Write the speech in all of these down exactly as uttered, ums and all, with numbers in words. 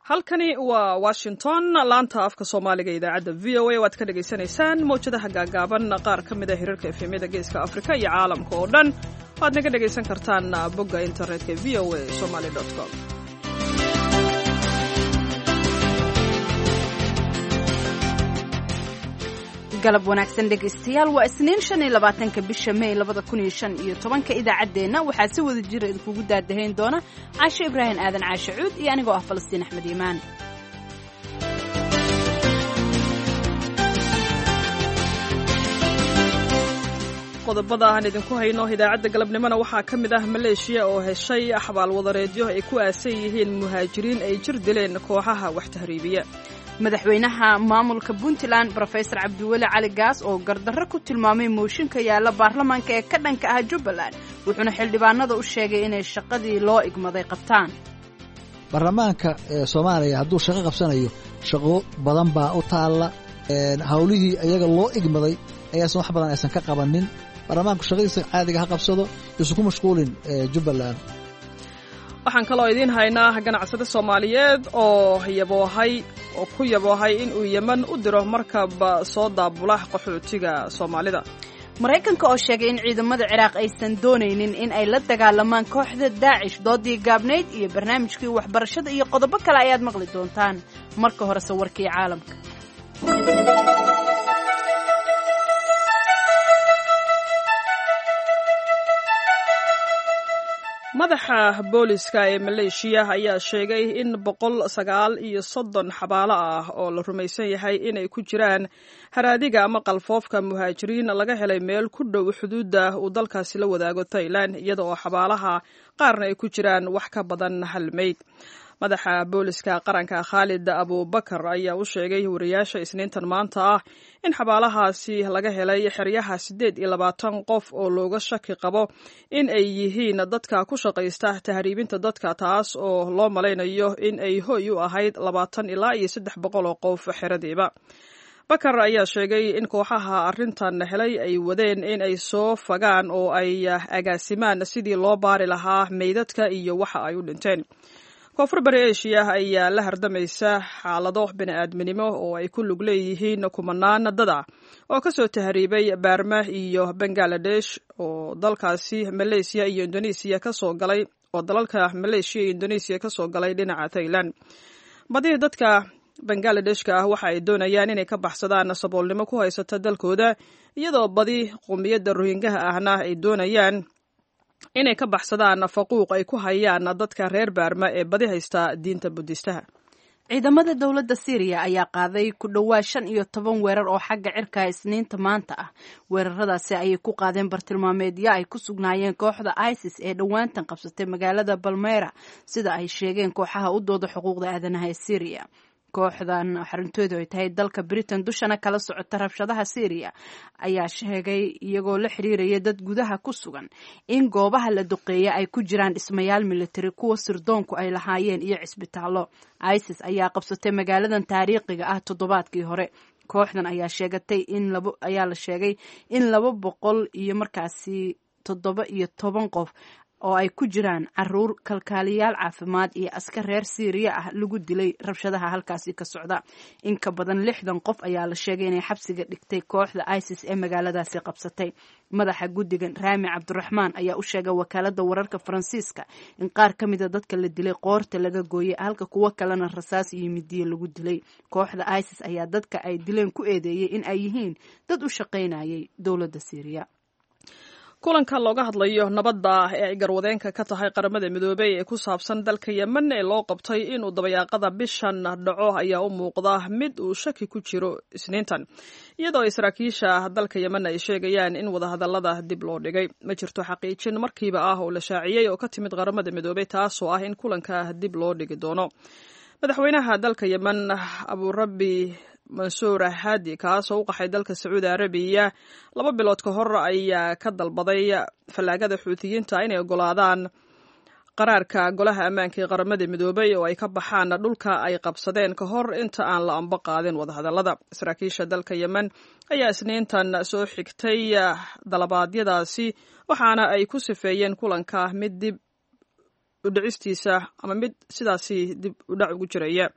Halkani waa Washington, laanta afka Soomaaliga, idaacadda V O A. Waad ka dhagaysanaysaan mawjadaha gaagaaban, qaar ka mid a hirarka F M-yada Geeska Afrika iyo caalamka oo dhan waad naga dhagaysan kartaan bogga internetka V O A Somali com. Galab wanaagsan, dhegaystayaal. Waa Isniin, shan iyo labaatanka bisha May labada kun iyo shan iyo tobanka. Idaacaddeenna waxaa si wada jira idinkugu daadahayn doona Caashe Ibraahim Aadan, Caashe Cuud, iyo anigoo ah Falastiin Axmed Iimaan. Qodobada aan idinku hayno idaacadda galabnimona waxaa ka mid ah Maleeshiya oo heshay xabaal wadareedyo ay ku aasan yihiin muhaajiriin ay jir dileen kooxaha wax tahriibiya. Madaxweynaha maamulka Puntland, Brofesor Cabdiweli Cali Gaas, oo gardarro ku tilmaamay mooshinka yaalla baarlamaanka ee ka dhanka ah Jubbaland, wuxuuna xildhibaanada u sheegay inay shaqadii loo igmaday qabtaan. Baarlamaanka Soomaaliya hadduu shaqo qabsanayo, shaqo badan baa u taalla. Hawlihii iyaga loo igmaday ayaasan wax badan aysan ka qabanin. Baarlamaanku shaqadiisa caadiga ha qabsado, yuusan ku mashquulin Jubbaland. Waxaan kaloo idiin haynaa ganacsade Soomaaliyeed oo yaboohay oo ku yaboohay in uu Yemen u diro markab soo daabula qaxootiga Soomaalida. Maraykanka oo sheegay in ciidamada Ciraaq aysan doonaynin in ay la dagaalamaan kooxda Daacish, doodii gaabnayd iyo barnaamijkii waxbarashada iyo qodobo kale ayaad maqli doontaan. Marka horese warkii caalamka. Madaxa booliska ee Maleeshiya ayaa sheegay in boqol sagaal iyo soddon xabaalo ah oo la rumaysan yahay inay ku jiraan haraadiga ama qalfoofka muhaajiriin laga helay meel ku dhow xuduudda uu dalkaasi la wadaago Thailand, iyada oo xabaalaha qaarna ay ku jiraan wax ka badan hal meyd. Madaxa booliska qaranka, Khaalid Abubakar, ayaa u sheegay wariyaasha Isniintan maanta ah in xabaalahaasi laga helay xeryaha siddeed iyo labaatan qof oo looga shaki qabo in ay yihiin dadka ku shaqaysta tahriibinta dadka, taas oo loo malaynayo in ay hoy u ahayd labaatan ilaa iyo saddex boqol oo qof xeradiiba. Bakar ayaa sheegay in kooxaha arrintan helay ay wadeen in ay soo fagaan oo ay agaasimaan sidii loo baari lahaa meydadka iyo waxa ay u dhinteen. Koonfur Bari Eshiya ayaa la hardamaysa xaalado bini'aadminimo oo ay ku lug leeyihiin kumanaan dada oo ka soo tahriibay Baarma iyo Bangaladesh oo dalkaasi Maleysiya iyo Indonesiya kasoo galay oo dalalka Maleeshiya iyo Indonesiya ka soo galay dhinaca Thailand. Badi dadka Bangladeshka ah waxa ay doonayaan inay ka baxsadaan saboolnimo ku haysata dalkooda, iyadoo badi qowmiyadda Rohingaha ahna ay doonayaan inay ka baxsadaan faquuq ay ku hayaan dadka reer Baarma ee badi haysta diinta Budistaha. Ciidamada dowladda Syriya ayaa qaaday ku dhowaad shan iyo toban weerar oo xagga cirka Isniinta maanta ah. Weeraradaasi ayay ku qaadeen bartilmaameedyo ay ku sugnaayeen kooxda ISIS ee dhowaantan qabsatay magaalada Balmeyra, sida ay sheegeen kooxaha u dooda xuquuqda aadanaha ee Syriya. Kooxdan xarintoodu ay tahay dalka Britain, dushana kala socota rabshadaha Syriya, ayaa sheegay, iyagoo la xiriiraya dad gudaha ku sugan, in goobaha la duqeeya ay ku jiraan dhismayaal military, kuwa sirdoonku ay lahaayeen iyo cisbitaallo. ISIS ayaa qabsatay magaaladan taariikhiga ah toddobaadkii hore. Kooxdan ayaa sheegatay in labo ayaa la sheegay in laba boqol iyo markaasi toddoba iyo toban qof oo ay ku jiraan caruur, kalkaaliyaal caafimaad iyo askar reer Siiriya ah lagu dilay rabshadaha halkaasi ka socda. In ka badan lixdan qof ayaa la sheegay inay xabsiga dhigtay kooxda ISIS ee magaaladaasi qabsatay. Madaxa guddigan, Raami Cabdiraxmaan, ayaa u sheegay wakaaladda wararka Faransiiska in qaar ka mida dadka la dilay qoorta laga gooyay, halka kuwo kalena rasaas iyo midiye lagu dilay. Kooxda ISIS ayaa dadka ay dileen ku eedeeyey in ay yihiin dad u shaqaynayay dowladda Siiriya. Kulanka looga hadlayo nabadda ee ay garwadeenka ka tahay Qaramada Midoobey ee ku saabsan dalka Yemen ee loo qabtay inuu dabayaaqada bishan dhaco ayaa u muuqda mid uu shaki ku jiro Isniintan, iyadoo ay saraakiisha dalka Yemen ay sheegayaan in wadahadallada dib loo dhigay. Ma jirto xaqiijin markiiba ah oo la shaaciyey oo ka timid Qaramada Midoobey, taasoo ah in kulanka dib loo dhigi doono. Madaxweynaha dalka Yemen, Abuurabi Mansuur Haadi, kaasoo u qaxay dalka Sacuudi Arabiya laba bilood ka hor, ayaa ka dalbaday fallaagada Xuutiyiinta inay ogolaadaan qaraarka Golaha Ammaanka ee Qaramada Midoobay oo ay ka baxaan dhulka ay qabsadeen ka hor inta aan la amba qaadin wadahadallada. Saraakiisha dalka Yemen ayaa Isniintan soo xigtay dalabaadyadaasi, waxaana ay ku sifeeyeen kulanka mid dib udhicistiisa ama mid sidaasi dib udhac ugu jiraya.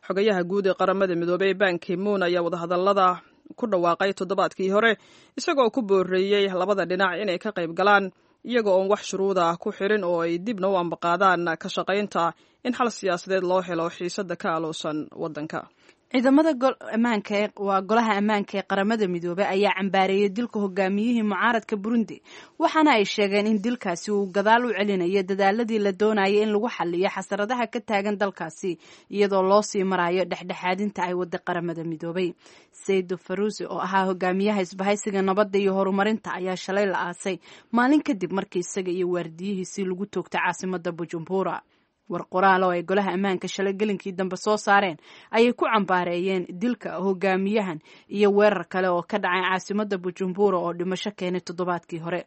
Xogayaha guud ee Qaramada Midoobey Banki Moon ayaa wadahadallada ku dhawaaqay toddobaadkii hore, isagoo ku booreeyey labada dhinac inay ka qayb galaan iyaga oon wax shuruuda ku xirin oo ay dibna u ambaqaadaan ka shaqaynta in xal siyaasadeed loo helo xiisadda ka aloosan waddanka. Ciidamada ammaanka waa Golaha Ammaanka ee Qaramada Midoobey ayaa cambaareeyey dilka hogaamiyihii mucaaradka Burundi, waxaana ay sheegeen in dilkaasi uu gadaal u celinayo dadaaladii la doonayay in lagu xaliyo xasaradaha ka taagan dalkaasi, iyadoo loo sii marayo dhexdhexaadinta ay wada Qaramada Midoobey. Saydo Faruusi oo ahaa hogaamiyaha Isbahaysiga Nabadda iyo Horumarinta ayaa shalay la aasay, maalin kadib markii isaga iyo waardiyihiisii lagu toogtay caasimada Bujumbura. War qoraal oo ay Golaha Ammaanka shalay gelinkii dambe soo saareen ayay ku cambaareeyeen dilka hogaamiyahan iyo weerar kale oo ka dhacay caasimada Bujumbura oo dhimasho keenay toddobaadkii hore.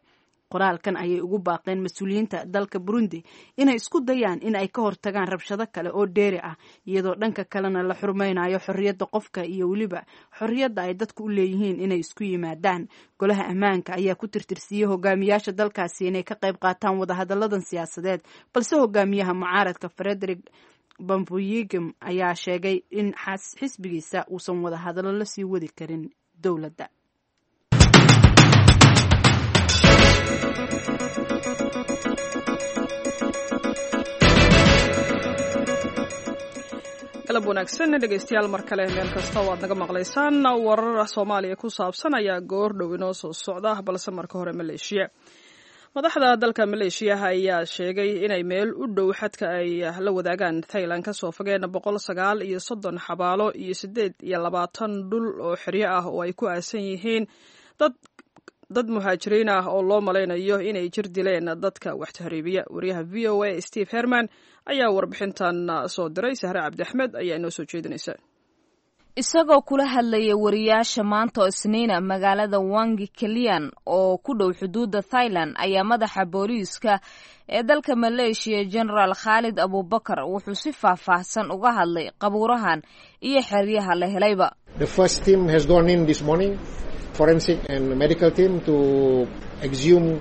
Qoraalkan ayay ugu baaqeen mas-uuliyiinta dalka Burundi inay isku dayaan in ay ka hortagaan rabshado kale oo dheeri ah, iyadoo dhanka kalena la xurmaynayo xorriyadda qofka iyo weliba xorriyadda ay dadku u leeyihiin inay isku yimaadaan. Golaha Ammaanka ayaa ku tirtirsiiyey hogaamiyaasha dalkaasi inay ka qayb qaataan wadahadalladan siyaasadeed, balse hogaamiyaha mucaaradka Frederick Bambuyigim ayaa sheegay in xisbigiisa uusan wadahadallo la sii wadi karin dowladda. Galab wanaagsan dhegeystayaal, mar kale meel kasta oo aad naga maqlaysaan. Warar Soomaaliya ku saabsan ayaa goor dhow inoo soo socda, balse marka hore Maleeshiya. Madaxda dalka Maleeshiya ayaa sheegay inay meel u dhow xadka ay la wadaagaan Thailand kasoo fogeen boqol sagaal iyo soddon xabaalo iyo siddeed iyo labaatan dhul oo xeryo ah oo ay ku aasan yihiin dad dad muhaajiriin ah oo loo malaynayo inay jir dileen dadka wax tahriibiya. Wariyaha V O A Steve Herman ayaa warbixintan soo diray. Sahre Cabdi Axmed ayaa inoo soo jeedinaysa. Isagoo kula hadlaya wariyaasha maanta oo Isniina magaalada Wangi Kelian oo ku dhow xuduudda Thailand ayaa madaxa booliiska ee dalka Maleeshiya, Genaraal Khaalid Abubakar, wuxuu si faahfaahsan uga hadlay qabuurahan iyo xeryaha la helayba. Forensic and medical team to exhume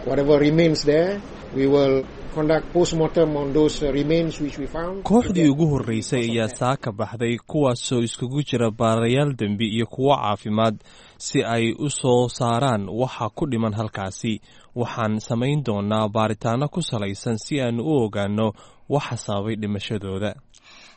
whatever remains there. We will conduct postmortem on those remains which we found. Kooxdii ugu horreysay ayaa saaka baxday, kuwaasoo iskugu jira baarayaal dembi iyo kuwo caafimaad, si ay u soo saaraan waxa ku dhiman halkaasi. Waxaan samayn doonaa baaritaano ku salaysan si aanu u ogaanno waxa sababay dhimashadooda.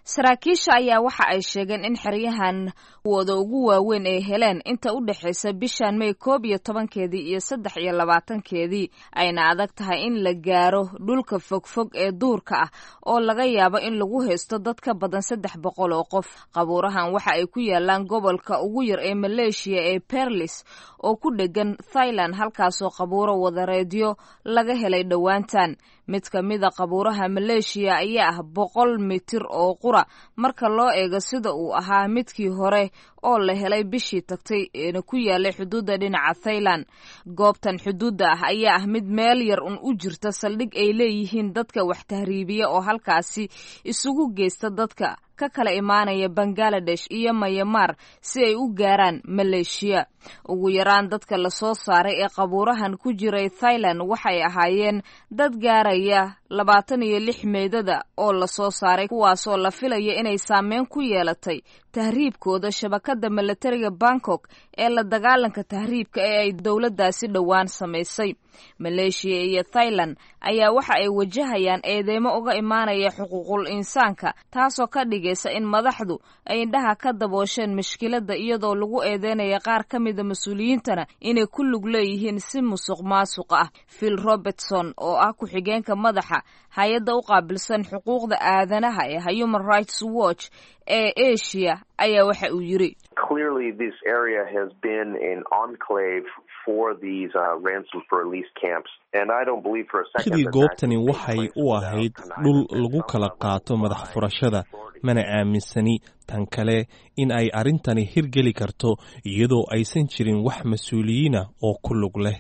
Saraakiisha ayaa waxa ay sheegeen in xeryahan wooda ugu waaweyn ay heleen inta u dhexaysa bishan May koob iyo tobankeedii iyo saddex iyo labaatankeedii, ayna adag tahay in la gaaro dhulka fogfog ee duurka ah oo laga yaabo in lagu haysto dad ka badan saddex boqol oo qof. Qabuurahan waxa ay ku yaalaan gobolka ugu yar ee Maleeshiya ee Perlis oo ku dhegan Thailand, halkaasoo qabuuro wadareedyo laga helay dhowaantan. Mid ka mida qabuuraha Maleeshiya ayaa ah boqol mitir oo qura marka loo eego sida uu ahaa midkii hore oo la helay bishii tagtay eena ku yaalay xuduudda dhinaca Thailand. Goobtan xuduudda ah ayaa ah mid meel yar un u jirta saldhig ay leeyihiin dadka wax tahriibiya oo halkaasi isugu geysta dadka ka kala imaanaya Bangaladesh iyo Mayamaar si ay u gaaraan Maleeshiya. Ugu yaraan dadka lasoo saaray ee qabuurahan ku jiray Thailand waxay ahaayeen dad gaaraya labaatan iyo lix meydada oo lasoo saaray, kuwaasoo la filaya inay saameyn ku yeelatay tahriibkooda shabakadda milatariga Bangkok ee la dagaalanka tahriibka ee ay dowladdaasi dhowaan samaysay. Maleeshiya iyo Thailand ayaa waxa ay wajahayaan eedeymo uga imaanaya xuquuqul insaanka, taasoo ka dhigaysa in madaxdu ay indhaha ka daboosheen mushkiladda, iyadoo lagu eedeynaya qaar ka mida mas-uuliyiintana inay ku lug leeyihiin si musuq maasuq ah. Phil Robertson oo ah ku-xigeenka madaxa hay-adda u qaabilsan xuquuqda aadanaha ee Human Rights Watch ee Asia ayaa waxa uu yiri: Clearly this area has been an enclave for these uh, ransom for release camps, and I don't believe for a second Sidii goobtani waxay u ahayd dhul lagu kala qaato madax furashada, mana aaminsani tan kale in ay arrintani hirgeli karto iyadoo aysan jirin wax mas-uuliyiina oo ku lug leh.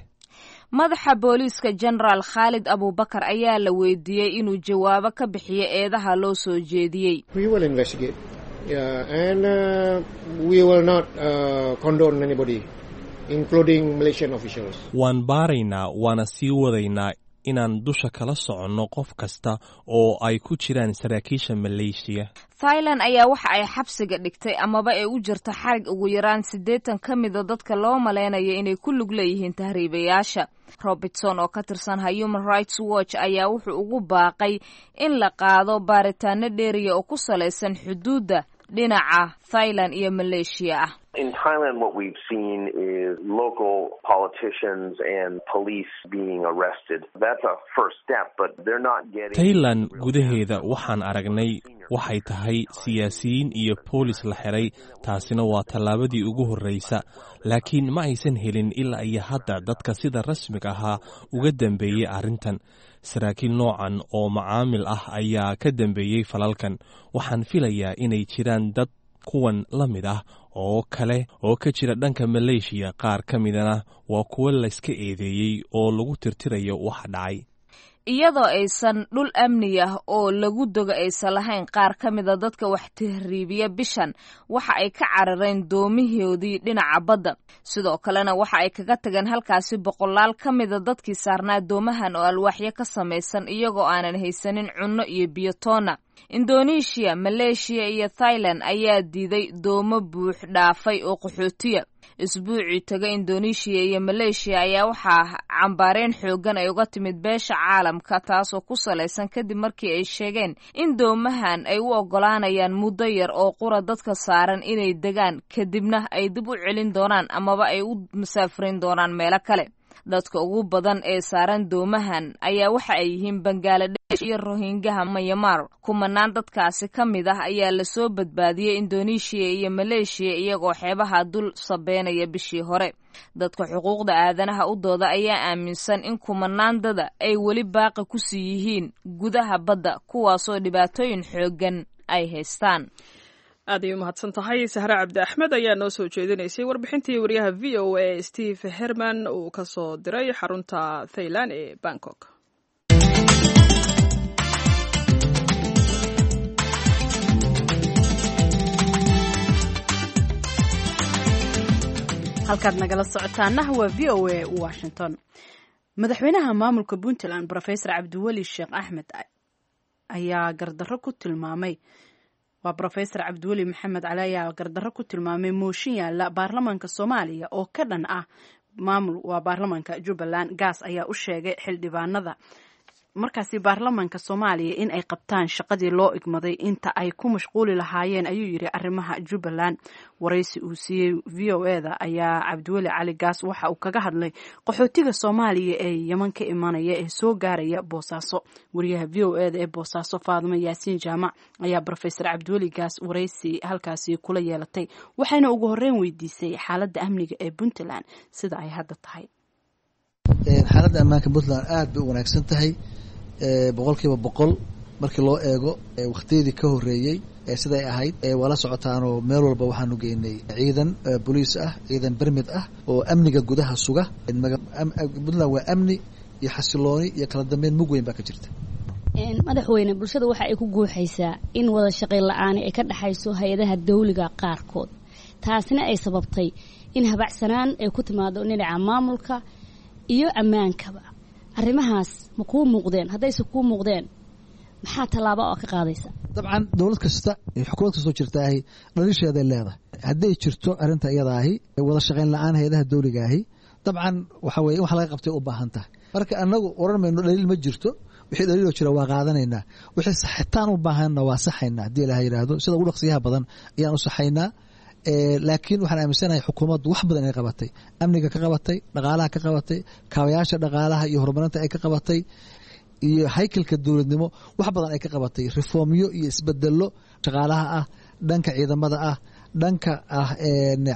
Madaxa booliiska, Genaraal Khaalid Abubakar, ayaa la weydiiyey inuu jawaabo ka bixiyo eedaha loo soo jeediyey. We will investigate. Yeah, and uh, we will not uh, condone anybody, including Malaysian officials. Waan baaraynaa, waana sii wadaynaa inaan dusha kala soconno qof kasta oo ay ku jiraan saraakiisha Maleeshiya. Thailand ayaa waxa ay xabsiga dhigtay amaba ay u jirto xarig ugu yaraan siddeetan ka mida dadka loo malaynayo inay ku lug leeyihiin tahriibayaasha. Robertson oo ka tirsan Human Rights Watch ayaa wuxuu ugu baaqay in la qaado baaritaano dheeriya oo ku salaysan xuduudda dhinaca Thailand iyo Maleeshiya ah. In Thailand, what we've seen is local politicians and police being arrested. That's a first step, but they're not getting. Thailand gudaheeda waxaan aragnay waxay tahay siyaasiyiin iyo boolis la xiray, taasina waa tallaabadii ugu horreysa, laakiin ma aysan helin ilaa iyo hadda dadka sida rasmiga ahaa uga dambeeyey arrintan. Saraakiil noocan oo macaamil ah ayaa ka dambeeyey falalkan. Waxaan filayaa inay jiraan dad kuwan la mid ah oo kale oo ka jira dhanka Maleeshiya, qaar ka midana waa kuwo layska eedeeyey oo lagu tirtirayo waxa dhacay. Iyadoo aysan dhul amni ah oo lagu dogo aysan lahayn, qaar ka mida dadka wax tahriibiya bishan waxa ay ka carareen doomihoodii dhinaca badda. Sidoo kalena waxa ay kaga tageen halkaasi boqolaal ka mida dadkii saarnaa doomahan oo alwaaxyo ka samaysan, iyagoo aanan haysanin cunno iyo biyo toona. Indonesia, Maleeshiya iyo Thailand ayaa diiday doomo buux dhaafay oo qaxootiya. Isbuucii taga Indonesia iyo Maleeshiya ayaa waxaa cambaareen xooggan ay uga timid beesha caalamka, taasoo ku salaysan kadib markii ay sheegeen in doomahan ay u oggolaanayaan muddo yar oo qura dadka saaran inay degaan, kadibna ay dib u celin doonaan amaba ay u masaafurin doonaan meelo kale. Dadka ugu badan ee saaran doomahan ayaa waxa ay yihiin Bangaladesh iyo Rohingaha Myanmar. Kumanaan dadkaasi ka mid ah ayaa lasoo badbaadiyey Indonesia iyo Maleeshiya iyagoo xeebaha dul sabeynaya bishii hore. Dadka xuquuqda aadanaha u dooda ayaa aaminsan in kumanaan dada ay weli baaqi kusii yihiin gudaha badda, kuwaasoo dhibaatooyin xooggan ay haystaan. Aad ay u mahadsan tahay Sahre Cabdi Axmed ayaa noo soo jeedinaysay warbixintii wariyaha V O A Steve Herman uu ka soo diray xarunta Thailand ee Bangkok. Halkaad nagala socotaana waa V O A Washington. Madaxweynaha maamulka Puntland Professor Cabdiweli Sheekh Axmed ayaa gardarro ku tilmaamay waa Professor Cabdiweli Maxamed Cali ayaa gardarro ku tilmaamay mooshin yaalla baarlamaanka Soomaaliya oo ka dhan ah maamul waa baarlamaanka Jubbaland. Gaas ayaa u sheegay xildhibaanada markaasi baarlamaanka Soomaaliya in ay qabtaan shaqadii loo igmaday inta ay ku mashquuli lahaayeen, ayuu yidhi, arrimaha Jubbaland. Waraysi uu siiyey V O E da ayaa Cabdiweli Cali Gaas waxa uu kaga hadlay qaxootiga Soomaaliya ee Yeman ka imanaya ee soo gaaraya Boosaaso. Wariyaha V O E da ee Boosaaso Faadimo Yaasiin Jaamac ayaa Professor Cabdiweli Gaas waraysi halkaasi kula yeelatay, waxayna ugu horreyn weydiisay xaaladda amniga ee Puntland sida ay hadda tahay. Xaaladda ammaanka Puntland aada bay u wanaagsan tahay boqolkiiba boqol markii loo eego wakhtiyadii ka horreeyey siday ahayd. Waa la socotaanoo meel walba waxaanu geynay ciidan boliis ah, ciidan bermid ah oo amniga gudaha suga. Puntland waa amni iyo xasilooni iyo kala dambeyn mug weyn baa ka jirta. Madaxweyne, bulshada waxa ay ku guuxaysaa in wada shaqayn la-aani ay ka dhexayso hay-adaha dawliga qaarkood, taasina ay sababtay in habacsanaan ay ku timaado dhinaca maamulka iyo ammaankaba. Arrimahaas ma kuu muuqdeen? Haddayse kuu muuqdeen, maxaa tallaabo oo ka qaadaysa? Dabcan dowlad kasta iyo xukuumad kastoo jirtaahi dhalisheeday leedahay. Hadday jirto arrinta iyadaahi wada shaqayn la-aan hay-adaha dawligaahi, dabcan waxa weye in wax laga qabtay u baahan tahay. Marka anagu oran mayno dhaliil ma jirto, wixii dhaliiloo jira waa qaadanaynaa, wixii saxitaan u baahanna waa saxaynaa haddii ilaha yidhaahdo. Sida ugu dhaqsiyaha badan ayaan u saxaynaa. Laakiin waxaan aaminsanahay xukuumaddu wax badan inay qabatay, amniga ka qabatay, dhaqaalaha ka qabatay, kaabayaasha dhaqaalaha iyo horumarinta ay ka qabatay, iyo haykalka dowladnimo wax badan ay ka qabatay, reformyo iyo isbedelo shaqaalaha ah, dhanka ciidamada ah, dhanka ah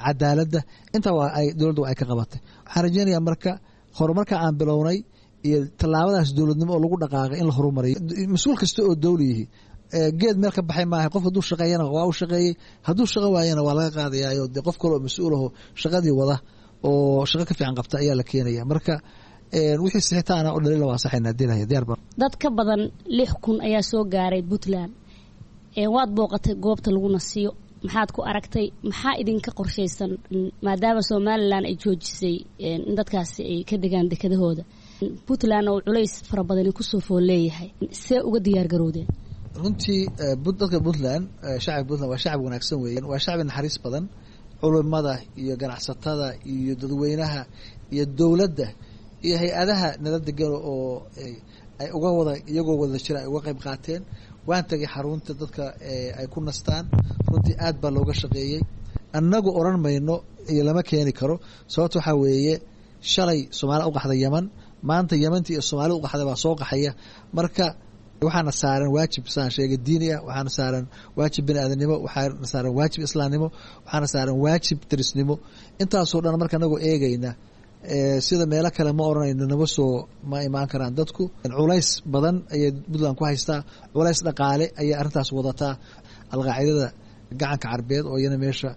cadaaladda, intaa waa ay dowladdu ay ka qabatay. Waxaan rajeynayaa marka horumarka aan bilownay iyo tallaabadaas dowladnimo oo lagu dhaqaaqay in la horumariyo. Mas-uul kasta oo dowli yihi geed meel ka baxay maaha. Qof hadduu shaqeeyana waa u shaqeeyey, hadduu shaqo waayana waa laga qaadayaayo dee qof kale oo mas-uul aho shaqadii wada oo shaqo ka fiican qabta ayaa la keenaya. Marka wixii sixitaana oo dhaliila waa saxayna dilaya diyaar ba. Dad ka badan lix kun ayaa soo gaaray Puntland. Waad booqatay goobta lagu nasiyo, maxaad ku aragtay? Maxaa idinka qorshaysan maadaama Somaliland ay joojisay in dadkaasi ay ka degaan dekedahooda? Puntland oo culays fara badani kusoo fool leeyahay, see uga diyaar garowdeen? Runtii dadka Puntland, shacabka Puntland waa shacab wanaagsan weeyaan, waa shacbi naxariis badan. Culimada iyo ganacsatada iyo dadweynaha iyo dowladda iyo hay-adaha nala degan oo ay uga wada iyagoo wada jira ay uga qayb qaateen. Waan tagay xarunta dadka ay ku nastaan, runtii aad baa looga shaqeeyey. Annagu odhan mayno iyo lama keeni karo, sababta waxaa weeye shalay Soomaalida u qaxday Yeman, maanta Yemantii iyo Soomaalida u qaxday baa soo qaxaya. Marka waxaana saaran waajib saan sheegay diini ah, waxaana saaran waajib bini aadanimo, waxaana saaran waajib islaamnimo, waxaana saaran waajib derisnimo. Intaasoo dhan marka anagoo eegayna sida meelo kale ma odhanayno nama soo ma imaan karaan dadku. Culays badan ayay Puntland ku haystaa, culays dhaqaale ayay arrintaas wadataa. Alqaacidada gacanka Carbeed oo iyana meesha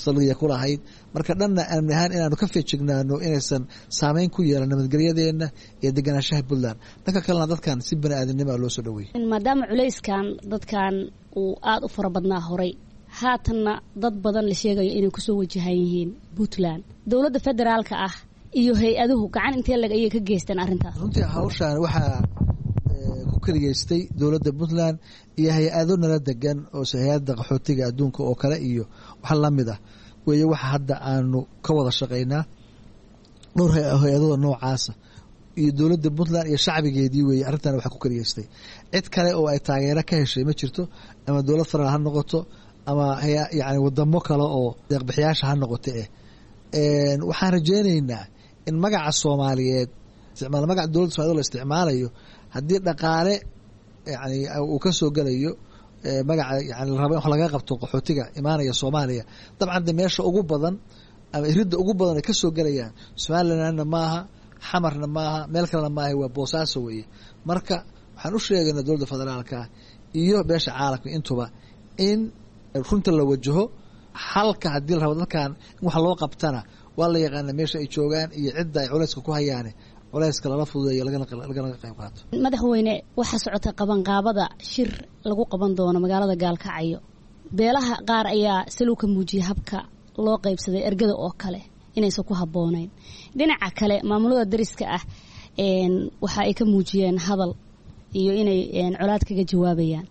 saldhiga ku lahayd, marka dhanna amni ahaan inaanu ka feejignaano inaysan saameyn ku yeelan nabadgelyadeenna iyo deganaanshaha Puntland, dhanka kalena dadkan si bani aadamnimo loo soo dhaweeyey. Maadaama culayskan dadkan uu aada u fara badnaa horay, haatanna dad badan la sheegayo inay kusoo wajahan yihiin Puntland, dowladda federaalka ah iyo hay-aduhu gacan intee lag ayay ka geysteen arrintaas? Runtii hawshaan waxaa ku keligeystay dowladda Puntland iyo hay-ado nala degan oo hay-adda qaxootiga adduunka oo kale iyo wax lamid ah weeye. Waxa hadda aanu ka wada shaqaynaa dhowr hay-adooda noocaasa iyo dowladda Puntland iyo shacbigeedii weeye. Arrintan waxaa ku keligeystay, cid kale oo ay taageero ka heshay ma jirto, ama dowlad federal ha noqoto ama yani wadamo kale oo deeqbixiyaasha ha noqoto. Eh waxaan rajeynaynaa in magaca Soomaaliyeed isticmaal, magaca dowladda Somaliyed la isticmaalayo, haddii dhaqaale yani uu ka soo gelayo magaca yani la rabo in wax laga qabto qaxootiga imaanaya Soomaaliya, dabcan de meesha ugu badan ama iridda ugu badan ay ka soo gelayaan Somalilandna maaha, Xamarna maaha, meel kalena maaha, waa Boosaaso weeye. Marka waxaan u sheegaynaa dowladda federaalka iyo beesha caalamka intuba in runta la wajaho xalka haddii la rabo dadkan in wax loo qabtana. Waa la yaqaana meesha ay joogaan iyo cidda ay culayska ku hayaane, culayska lala fududeeyo lagana qayb qaato. Madaxweyne, waxaa socota qabanqaabada shir lagu qaban doono magaalada Gaalkacyo. Beelaha qaar ayaa salow ka muujiyay habka loo qaybsaday ergada oo kale inaysan ku habboonayn. Dhinaca kale maamulada dariska ah waxa ay ka muujiyeen hadal iyo inay colaad kaga jawaabayaan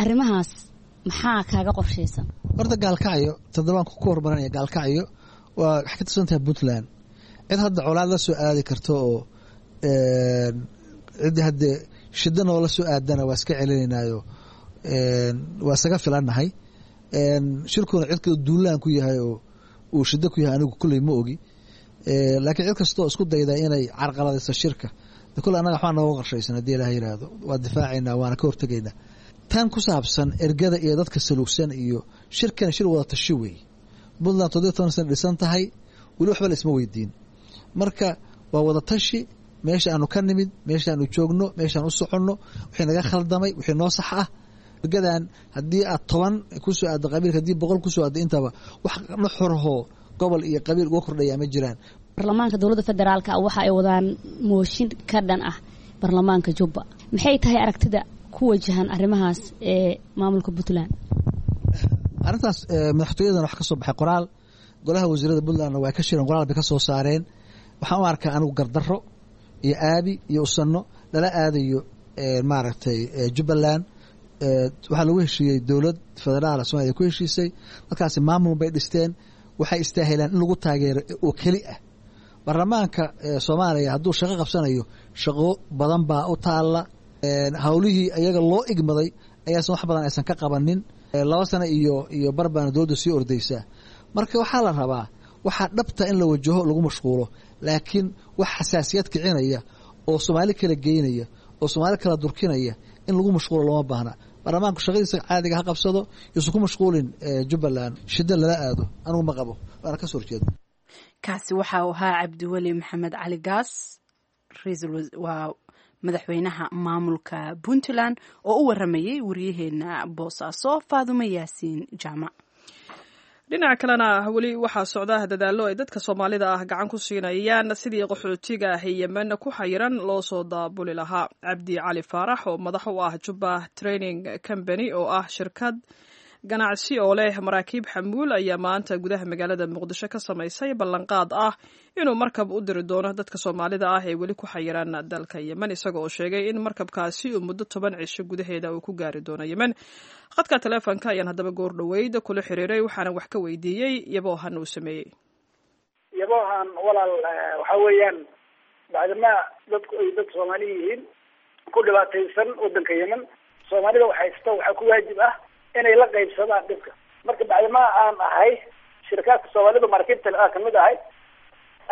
arrimahaas. Maxaa kaaga qorshaysan? Horta Gaalkacyo toddobaan ku hormarinaya, Gaalkacyo waa waxay ka tirsan tahay Puntland. Cid hadda colaad la soo aadi karto oo ciddi haddee shida noola soo aadana waa iska celinaynaayo, waa isaga filannahay. Shirkuna cid kale duulaan ku yahay oo uu shida ku yahay anigu kulley ma ogi, laakiin cid kastoo isku dayda inay carqaladayso shirka de kulle annaga waxbaa nooga qorshaysan haddii Ilaah yiraahdo, waa difaacaynaa waana ka hortegaynaa. Tan ku saabsan ergada iyo dadka saluugsan iyo shirkana, shir wada tashi weeye. Puntland toddobiy toban sana dhisan tahay, weli waxba la isma weydiin. Marka waa wada tashi, meesha aanu ka nimid, meesha aanu joogno, meeshaan u soconno, wixii naga khaldamay, wixii noo sax ah. Ergadan haddii aad toban kusoo aaddo qabiilka, haddii boqol kusoo aaddo, intaba wax nuxurhoo gobol iyo qabiil uga kordhaya ma jiraan. Baarlamaanka dowladda federaalka waxa ay wadaan mooshin ka dhan ah baarlamaanka Jubba. Maxay tahay aragtida ku wajahan arrimahaas ee maamulka Puntland? Arrintaas madaxtooyadan wax ka soo baxay qoraal, golaha wasiirada Puntlandna waa ka shireen, qoraal bay ka soo saareen. Waxaan u arkaa anigu gardarro iyo aabi iyo usanno lala aadayo maaragtay Jubbaland. Waxaa lagu heshiiyey dowlad federaala Somaaliya ku heshiisay, dadkaasi maamul bay dhisteen, waxay istaahilaan in lagu taageero oo keli ah. Baarlamaanka Soomaaliya hadduu shaqo qabsanayo, shaqo badan baa u taalla. Hawlihii iyaga loo igmaday ayaasan wax badan aysan ka qabanin, laba sano iyo iyo bar baana dowladda sii ordaysaa. Marka waxaa la rabaa waxaa dhabta in la wajaho lagu mashquulo, laakiin wax xasaasiyad kicinaya oo Soomaali kala geynaya oo Soomaali kala durkinaya in lagu mashquulo looma baahna. Baarlamaanku shaqadiisa caadiga ha qabsado, yuusan ku mashquulin Jubbaland shida lala aado, anigu ma qabo waana ka soo horjeeda. Kaasi waxa uu ahaa Cabdiweli Maxamed Cali Gaas, waa madaxweynaha maamulka Puntland oo u waramayay wariyaheena Boosaaso Faadumo Yaasiin Jaamac. Dhinaca kalena weli waxaa socda dadaallo ay dadka Soomaalida ah gacan ku siinayaan sidii qaxootiga ah Yemen ku xayiran loo soo daabuli lahaa. Cabdi Cali Faarax oo madax u ah Jubba Training Company oo ah shirkad ganacsi oo leh maraakiib xamuul ayaa maanta gudaha magaalada Muqdisho ka samaysay ballanqaad ah inuu markab u diri doono dadka Soomaalida ah ee weli ku xayiran dalka Yemen, isaga oo sheegay in markabkaasi uu muddo toban cisho gudaheeda uu ku gaari doono Yemen. Khadka taleefonka ayaan haddaba goor dhoweyd kula xiriiray, waxaana wax ka weydiiyey yaboohan uu sameeyey. Yaboohan walaal, waxa weeyaan bacdama dadku ay dad Soomaali yihiin ku dhibaataysan wadanka Yemen, Soomaalida waxaysta waxaa ku waajib ah inay la qaybsadaan dhibka. Marka bacdamaa aan ahay shirkaadka Soomaalida maraakiibta aan kamid ahay,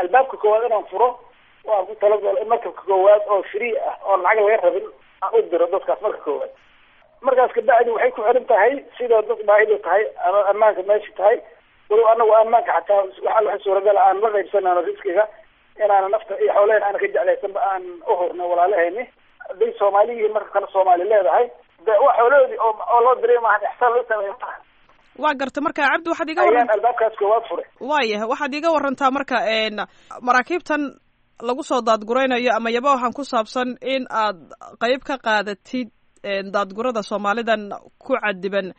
albaabka koowaad inaan furo oo aan ku talagalo in markabka koowaad oo free ah oo lacag laga rabin aan u diro dadkaas marka koowaad. Markaas kabacdi waxay ku xiran tahay sida dad baahidu tahay ama ammaanka meesha tahay. Walow anagu ammaanka xataa waxa waxa suuragal aan la qaybsanano riskiga, inaana nafta iyo xoolehen aana ka jeclaysanba aan u hurno walaalahayni hadday Soomaali yihiin. Marka kale Soomaali leedahay de waa xoolahoodii oo oo loo diray, maahan ixsaan loo sameeyo maaha. Waa garta. Marka Cabdi, waxaad iga ayaan albaabkaas koowaad furay. Waayahay, waxaad iga warantaa marka maraakiibtan lagu soo daadguraynayo ama yaboohan ku saabsan in aad qayb ka qaadatid daadgurada Soomaalidan ku cadiban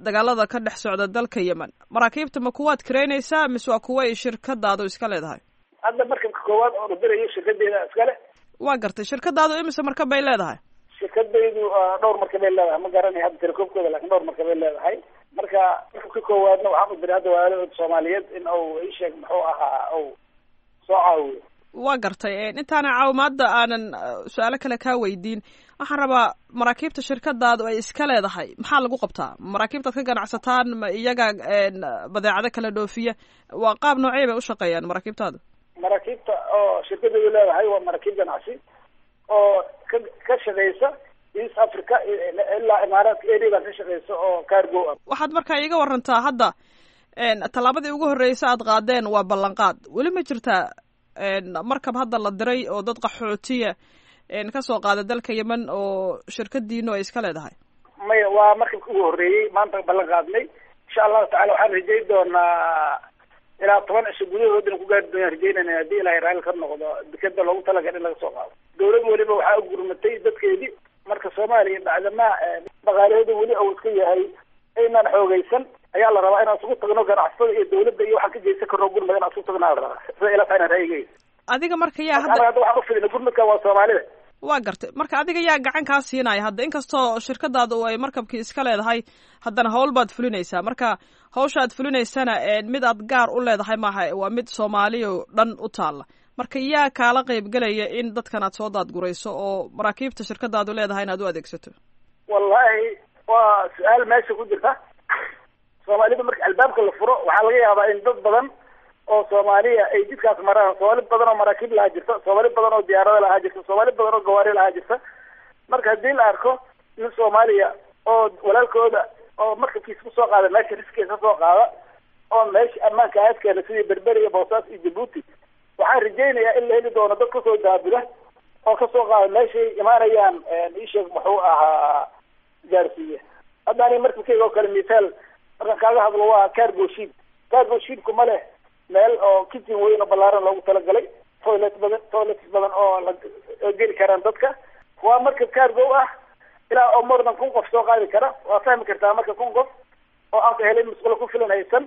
dagaalada ka dhex socda dalka Yemen. Maraakiibta ma kuwaad kiraynaysaa mise waa kuwa ay shirkadaadu iska leedahay? Hadda markabka koowaad oo dirayo shirkadeeda iskale. Waa gartay. Shirkadaadu imise markab bay leedahay? Shirkadaydu dhowr markab bay leedahay, ma garanay hadda tirakoobkooda, lakin dhowr markab bay leedahay. Marka markabka koowaadna waxaan u diray hadda walaalahooda Soomaaliyeed in uu isheeg muxuu ahaa uu soo caawiyo. Waa gartay. Intaana caawimaadda aanan su-aalo kale kaa weydiin, waxaan rabaa maraakiibta shirkadaadu ay iska leedahay maxaa lagu qabtaa? Maraakiibtaad ka ganacsataan ma iyaga badeecado kala dhoofiya? Waa qaab noocey bay ushaqeeyaan maraakiibtaada? Maraakiibta oo shirkadaydu leedahay waa maraakiib ganacsi oo ka ka shaqeysa East Africa ilaa Imaaraadka areadan ka shaqeysa oo cargo ah. Waxaad markaa iiga warantaa hadda tallaabadii ugu horreysa aad qaadeen waa ballanqaad. Weli ma jirtaa markab hadda la diray oo dad qaxootiya kasoo qaada dalka Yemen oo shirkadiinu ay iska leedahay? Maya, waa markabka ugu horreeyey maanta ballan qaadnay. Insha Allahu tacala waxaan rajay doonaa ilaa toban cisho gudahood inaan ku gaari doonaan rajaynayna, haddii Ilahay raalli ka noqdo, dekeda loogu talagalay in laga soo qaado. Dawlad weliba waxaa u gurmatay dadkeedii. Marka Soomaaliya bacdamaa dhaqaalahooda weli uu iska yahay aynaan xoogaysan, ayaa la rabaa inaan isugu tagno ganacsatada iyo dawladda iyo waxaan ka geysan karno gurmad inaan isugu tagnaa la rabaa, sida ila tahay inaan ra'yigeyga. Adiga marka yaa hadda hadda waxaan ufidina gurmadka waa Soomaalida. Waa gartay. Marka adiga yaa gacan kaa siinaya hadda? Inkastoo shirkadaada oo ay markabkii iska leedahay, haddana hawl baad fulinaysaa. Marka hawsha aad fulinaysana mid aad gaar u leedahay maaha, waa mid Soomaaliya oo dhan u taalla. Marka yaa kaala qaybgelaya in dadkan aad soo daadgurayso oo maraakiibta shirkadaadu leedahay inaad u adeegsato? Wallahi waa su-aal meesha ku jirta. Soomaalida marka albaabka la furo waxaa laga yaabaa in dad badan oo Soomaaliya ay jidkaas maraan. Soomaali badan oo maraakiib lahaa jirta, Soomaali badan oo diyaarada lahaa jirta, Soomaali badan oo gawaari lahaa jirta. Marka haddii la arko nin Soomaaliya oo walaalkooda oo markabkiisa kusoo qaada meesha riskiisa kasoo qaada oo meesha ammaanka aadkeena sidii Berberi iyo Boosaas iyo Jabuuti, waxaan rajaynayaa in la heli doono dad kasoo daabula oo kasoo qaada meeshay imaanayaan isheeg muxuu ahaa gaarsiiya. Hadda aniga markabkeyga oo kale mithaal markaan kaaga hadlo waa cargo ship. Cargo shipku ma leh meel oo kitchen weyn oo ballaaran loogu talagalay, toilet badan, toilets badan oo la oo geli karaan dadka. Waa markab cargo ah ilaa oo more than kun qof soo qaadi kara. Waa fahmi kartaa marka kun qof oo aan ka helin musqulo ku filan haysan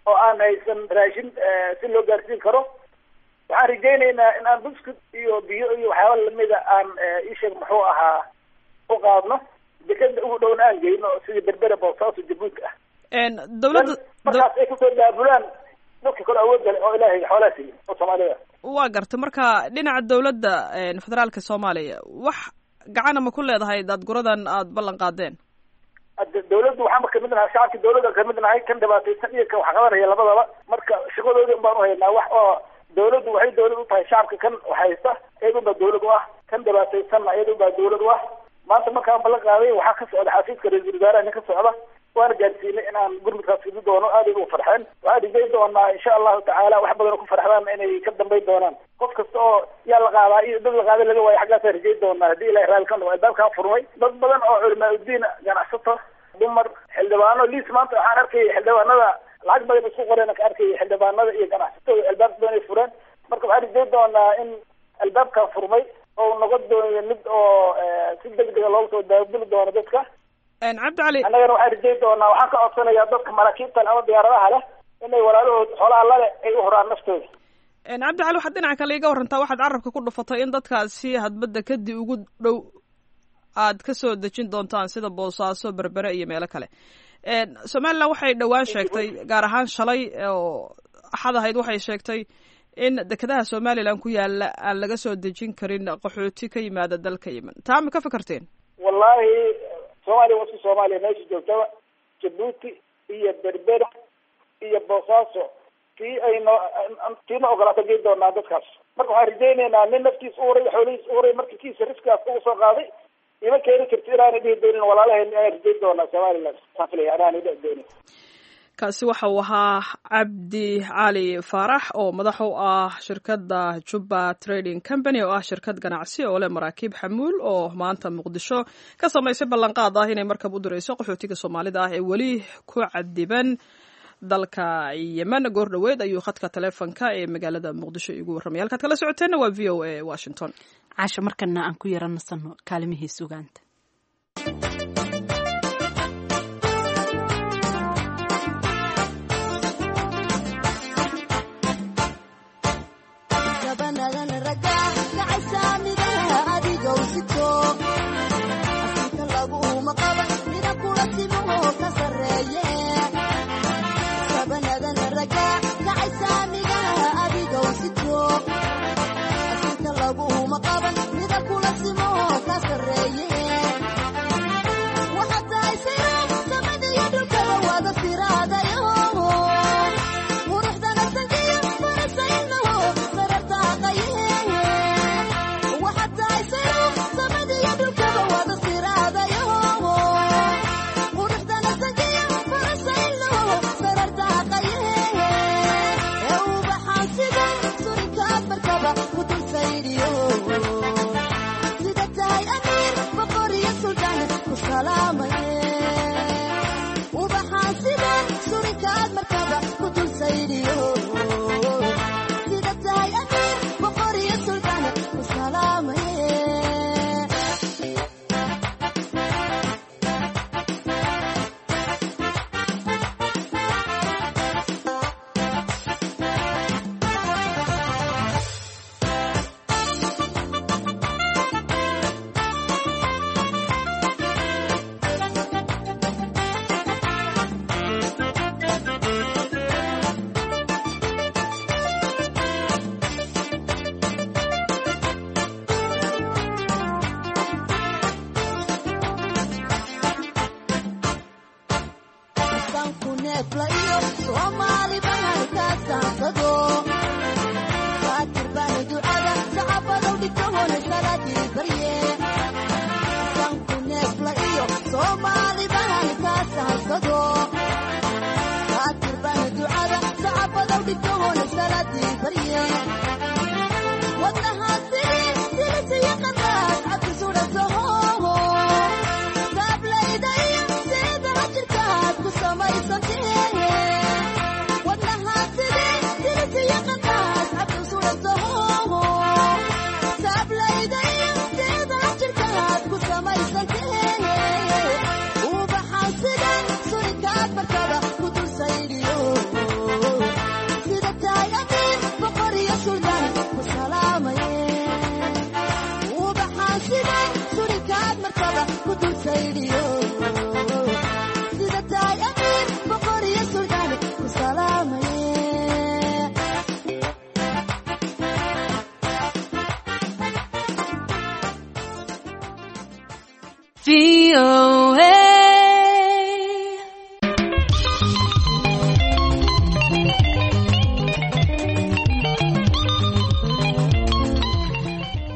oo aan haysan raashin si loo gaarsiin karo. Waxaan rajaynaynaa in aan buskud iyo biyo iyo waxyaaba lamida aan isheeg muxuu ahaa u qaadno, dekeda ugu dhowna aan geyno sidii Berbera, Boosaaso, Jabuuti ah. Dawladda markaas ay kasoo daabulaan dadka kale awoodda leh oo Ilaahay xoolaha siiya oo Soomaalida. Waa gartay. Marka dhinaca dawladda federaalka Soomaaliya wax gacana ma ku leedahay daadguradan aad ballan qaadeen? Hadda dawladdu waxaanba kamid nahay shacabka dawladda kamid nahay, kan dhibaataysan iyo kan wax qabanaya labadaba. Marka shaqadoodii un baan uhaynaa. Wax oo dawladdu waxay dawlad u tahay shacabka kan waxhaysta, iyadun baa dawlad u ah, kan dhibaataysanna iyadun baa dawlad u ah. Maanta markaan ballan qaaday waxaa ka socda xafiiska ra-iisul wasaaraha nin ka socda, waana gaarsiinay inaan gurmudkaas fidi doono. Aad ay ugu farxeen. Waxaan rajayn doonaa insha Allahu tacaala wax badan oo ku farxdaan inay ka dambayn doonaan. Qof kasta oo yaa la qaadaa iyo dad la qaaday laga waayo xaggaasaan rajayn doonaa haddii Ilahay raalli ka noqo. Albaabkaa furmay dad badan oo culamaa udiin, ganacsato, dumar, xildhibaano liis. Maanta waxaan arkayay xildhibaanada lacag badan isku qoreen ka arkayay xildhibaanada iyo ganacsatada albaab badan ay fureen. Marka waxaan rajayn doonaa in albaabkaa furmay oo noqon doonayo mid oo si degdega loogu soo daabuli doono dadka. Cabdi Cali, annagana waxaan rajayn doonaa, waxaan ka codsanayaa dadka maraakiibta leh ama diyaaradaha leh inay walaalahood xoolaha lale ay u huraan naftooda. Cabdi Cali, waxaad dhinaca kale iga warantaa, waxaad carabka ku dhufatay in dadkaasi hadbadda kadib ugu dhow aad ka soo dejin doontaan sida Boosaaso, Berbere iyo meelo kale. Somaliland waxay dhowaan sheegtay, gaar ahaan shalay oo Axad ahayd, waxay sheegtay in dekedaha Somaliland ku yaala aan laga soo dejin karin qaxooti ka yimaada dalka Yemen. Taa ma ka fikirteen? Wallahi Soomaaliya wasu Soomaaliya meesha joogtaba, Jabuuti iyo Berbera iyo Boosaaso tii ayno tiina ogolaata geyn doonaa dadkaas. Marka waxaan rajaynaynaa nin naftiis u huray, xoolihiis u huray, marka kiisa riskaas ugu soo qaaday ima keeni karti inaanay dhihi doonin walaalaheen. Inaan rajayn doonaa Somaliland saan filaya inaanay dhihi doonin. Kaasi waxa uu ahaa Cabdi Cali Faarax oo madax u ah shirkadda Juba Trading Company, oo ah shirkad ganacsi oo leh maraakiib xamuul, oo maanta Muqdisho ka samaysay ballanqaad ah inay markab u dirayso qaxootiga Soomaalida ah ee weli ku cadiban dalka Yemen. Goor dhoweed ayuu khadka taleefonka ee magaalada Muqdisho iigu warramay. Halkaad kala socoteenna waa V O A Washington. Caasha, markana aan ku yara nasano kaalimihii sugaanta.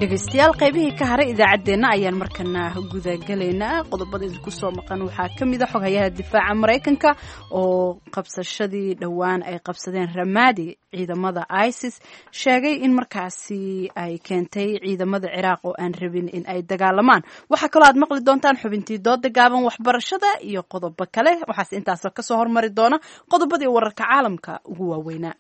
Dhegeystayaal, qaybihii ka haray idaacaddeenna ayaan markana gudagalaynaa. Qodobada idinku soo maqan waxaa ka mid a xoghayaha difaaca Maraykanka oo qabsashadii dhowaan ay qabsadeen Ramadi ciidamada ISIS sheegay in markaasi ay keentay ciidamada Ciraaq oo aan rabin in ay dagaalamaan. Waxaa kaloo aad maqli doontaan xubintii dooda gaaban, waxbarashada iyo qodobo kale. Waxaas intaasoo kasoo hormari doona qodobadii wararka caalamka ugu waaweynaa.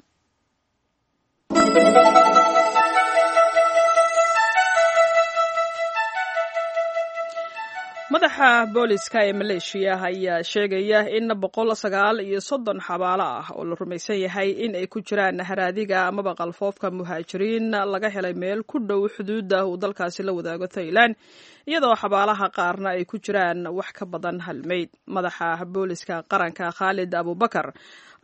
Madaxa booliska ee Maleeshiya ayaa sheegaya in boqol sagaal iyo soddon xabaalo ah oo la rumaysan yahay in ay ku jiraan haraadiga amaba qalfoofka muhaajiriin laga helay meel ku dhow xuduudda uu dalkaasi la wadaago Thailand, iyadoo xabaalaha qaarna ay ku jiraan wax ka badan hal meyd. Madaxa booliska qaranka Khaalid Abubakar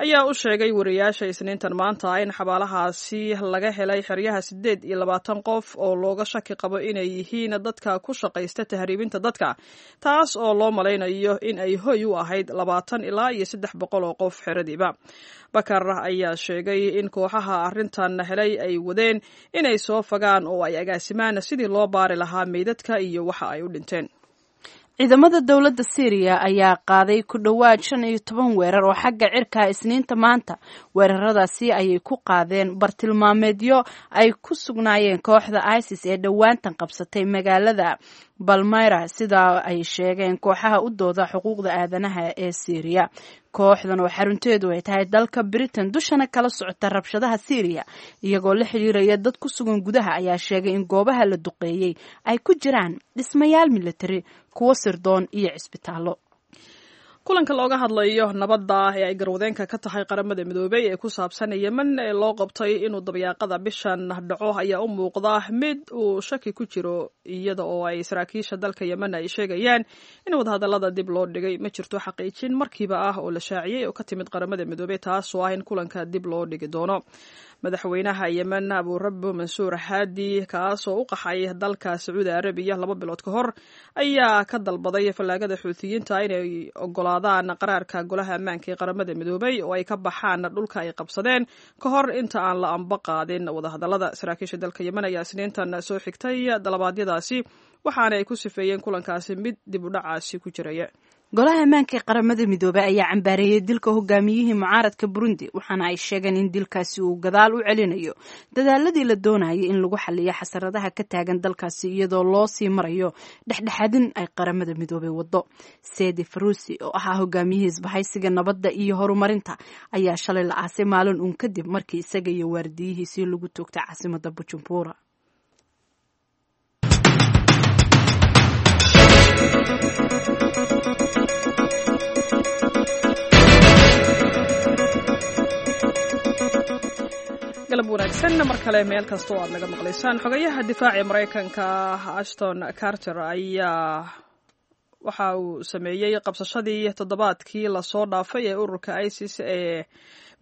ayaa u sheegay wariyaasha Isniintan maanta in xabaalahaasi laga helay xeryaha siddeed iyo labaatan qof oo looga shaki qabo inay yihiin dadka ku shaqaysta tahriibinta dadka, taas oo loo malaynayo in ay hoy u ahayd labaatan ilaa iyo saddex boqol oo qof xeradiiba. Bakar ayaa sheegay in kooxaha arrintan helay ay wadeen inay soo fagaan oo ay agaasimaan sidii loo baari lahaa meydadka iyo waxa ay u dhinteen. Ciidamada dowladda Syriya ayaa qaaday ku dhowaad shan iyo toban weerar oo xagga cirka Isniinta maanta. Weeraradaasi ayay ku qaadeen bartilmaameedyo ay ku sugnaayeen kooxda ISIS ee dhowaantan qabsatay magaalada Balmyra, sida ay sheegeen kooxaha u dooda xuquuqda aadanaha ee Syriya. Kooxdan oo xarunteedu ay tahay dalka Britain, dushana kala socota rabshadaha Syriya iyagoo la xiriiraya dad ku sugan gudaha, ayaa sheegay in goobaha la duqeeyey ay ku jiraan dhismayaal militari, kuwo sirdoon iyo cisbitaallo. Kulanka looga hadlayo nabadda ee ay garwadeenka ka tahay Qaramada Midoobey ee ku saabsan Yemen ee loo qabtay inuu dabyaaqada bishan dhaco ayaa u muuqda mid uu shaki ku jiro, iyada oo ay saraakiisha dalka Yemen ay sheegayaan in wadahadallada dib loo dhigay. Ma jirto xaqiijin markiiba ah oo la shaaciyey oo ka timid Qaramada Midoobey taasoo ah in kulanka dib loo dhigi doono. Madaxweynaha Yemen Abuurabo Mansuur Haadi, kaasoo u qaxay dalka Sacuudi Arabiya laba bilood ka hor, ayaa ka dalbaday fallaagada Xuutiyiinta inay ogolaadaan qaraarka Golaha Ammaanka ee Qaramada Midoobey oo ay ka baxaan dhulka ay qabsadeen ka hor inta aan la amba qaadin wadahadallada. Saraakiisha dalka Yemen ayaa Isniintan soo xigtay dalabaadyadaasi, waxaana ay ku sifeeyeen kulankaasi mid dib u dhacaasi ku jiraya. Golaha Ammaanka ee Qaramada Midoobey ayaa cambaareeyey dilka hogaamiyihii mucaaradka Burundi, waxaana ay sheegeen in dilkaasi uu gadaal u celinayo dadaaladii la doonayay in lagu xaliyo xasaradaha ka taagan dalkaasi iyadoo loo sii marayo dhexdhexaadin ay Qaramada Midoobey wado. Sedi Farusi oo ahaa hogaamiyihii Isbahaysiga Nabadda iyo Horumarinta ayaa shalay la aasay maalin uun kadib markii isaga iyo waardiyihiisii lagu toogtay caasimada Bujumbura. Galab wanaagsan mar kale meel kasta oo aad naga maqlaysaan. Xogayaha difaaca Maraykanka Ashton Carter ayaa waxa uu sameeyey qabsashadii toddobaadkii lasoo dhaafay ee ururka ISIS ee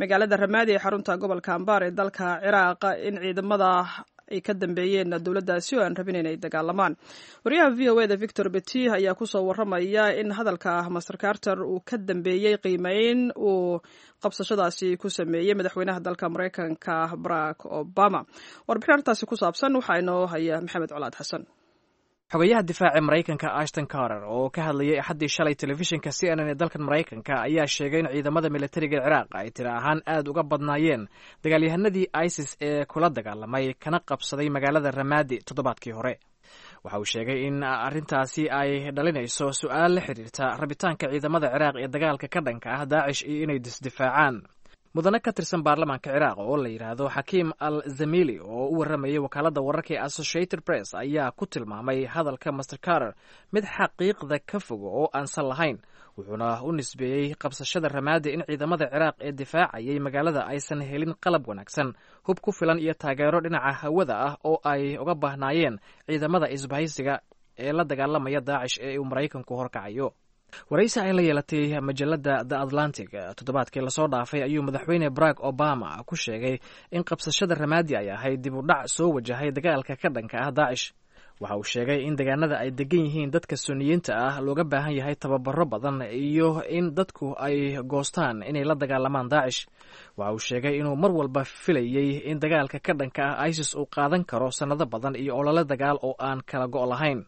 magaalada Ramaadi ee xarunta gobolka Ambaar ee dalka Ciraaq in ciidamada ay ka dambeeyeen dowladdaasi oo aan rabin inay dagaalamaan. Wariyaha V O E da Victor Beti ayaa kusoo waramaya in hadalka Master Carter uu ka dambeeyey qiimeyn uu qabsashadaasi ku sameeyey madaxweynaha dalka Maraykanka Barack Obama. Warbixin arrintaasi ku saabsan waxaa inoo haya Maxamed Colaad Xasan. Xogayaha difaaca Maraykanka Ashton Carter oo ka hadlayay Axaddii shalay telefishinka C N N ee dalkan Maraykanka ayaa sheegay in ciidamada militariga Ciraaq ay tiro ahaan aad uga badnaayeen dagaalyahanadii ISIS ee kula dagaalamay kana qabsaday magaalada Ramaadi toddobaadkii hore. Waxa uu sheegay in arrintaasi ay dhalinayso su-aal la xiriirta rabitaanka ciidamada Ciraaq ee dagaalka ka dhanka ah Daacish iyo inay disdifaacaan. Mudane ka tirsan baarlamaanka Ciraaq oo la yidhaahdo Xakiim al Zamili oo u warramayay wakaaladda wararka ee Associated Press ayaa ku tilmaamay hadalka Master Carter mid xaqiiqda ka fogo oo aansan lahayn, wuxuuna u nisbeeyey qabsashada Ramaadi in ciidamada Ciraaq ee difaacayay magaalada aysan helin qalab wanaagsan, hub ku filan iyo taageero dhinaca hawada ah oo ay uga baahnaayeen ciidamada isbahaysiga ee la dagaalamaya Daacish ee uu Maraykanku horkacayo. Waraysi ay la yeelatay majalada The Atlantic toddobaadkii lasoo dhaafay ayuu madaxweyne Barack Obama ku sheegay in qabsashada Ramaadi ay ahayd dib u dhac soo wajahay dagaalka ka dhanka ah Daacish. Waxa uu sheegay in deegaanada ay degan yihiin dadka Suniyiinta ah looga baahan yahay tababaro badan iyo in dadku ay goostaan inay la dagaalamaan Daacish. Waxa uu sheegay inuu mar walba filayey in dagaalka ka dhanka ah ISIS uu qaadan karo sannado badan iyo olole dagaal oo aan kala go' lahayn.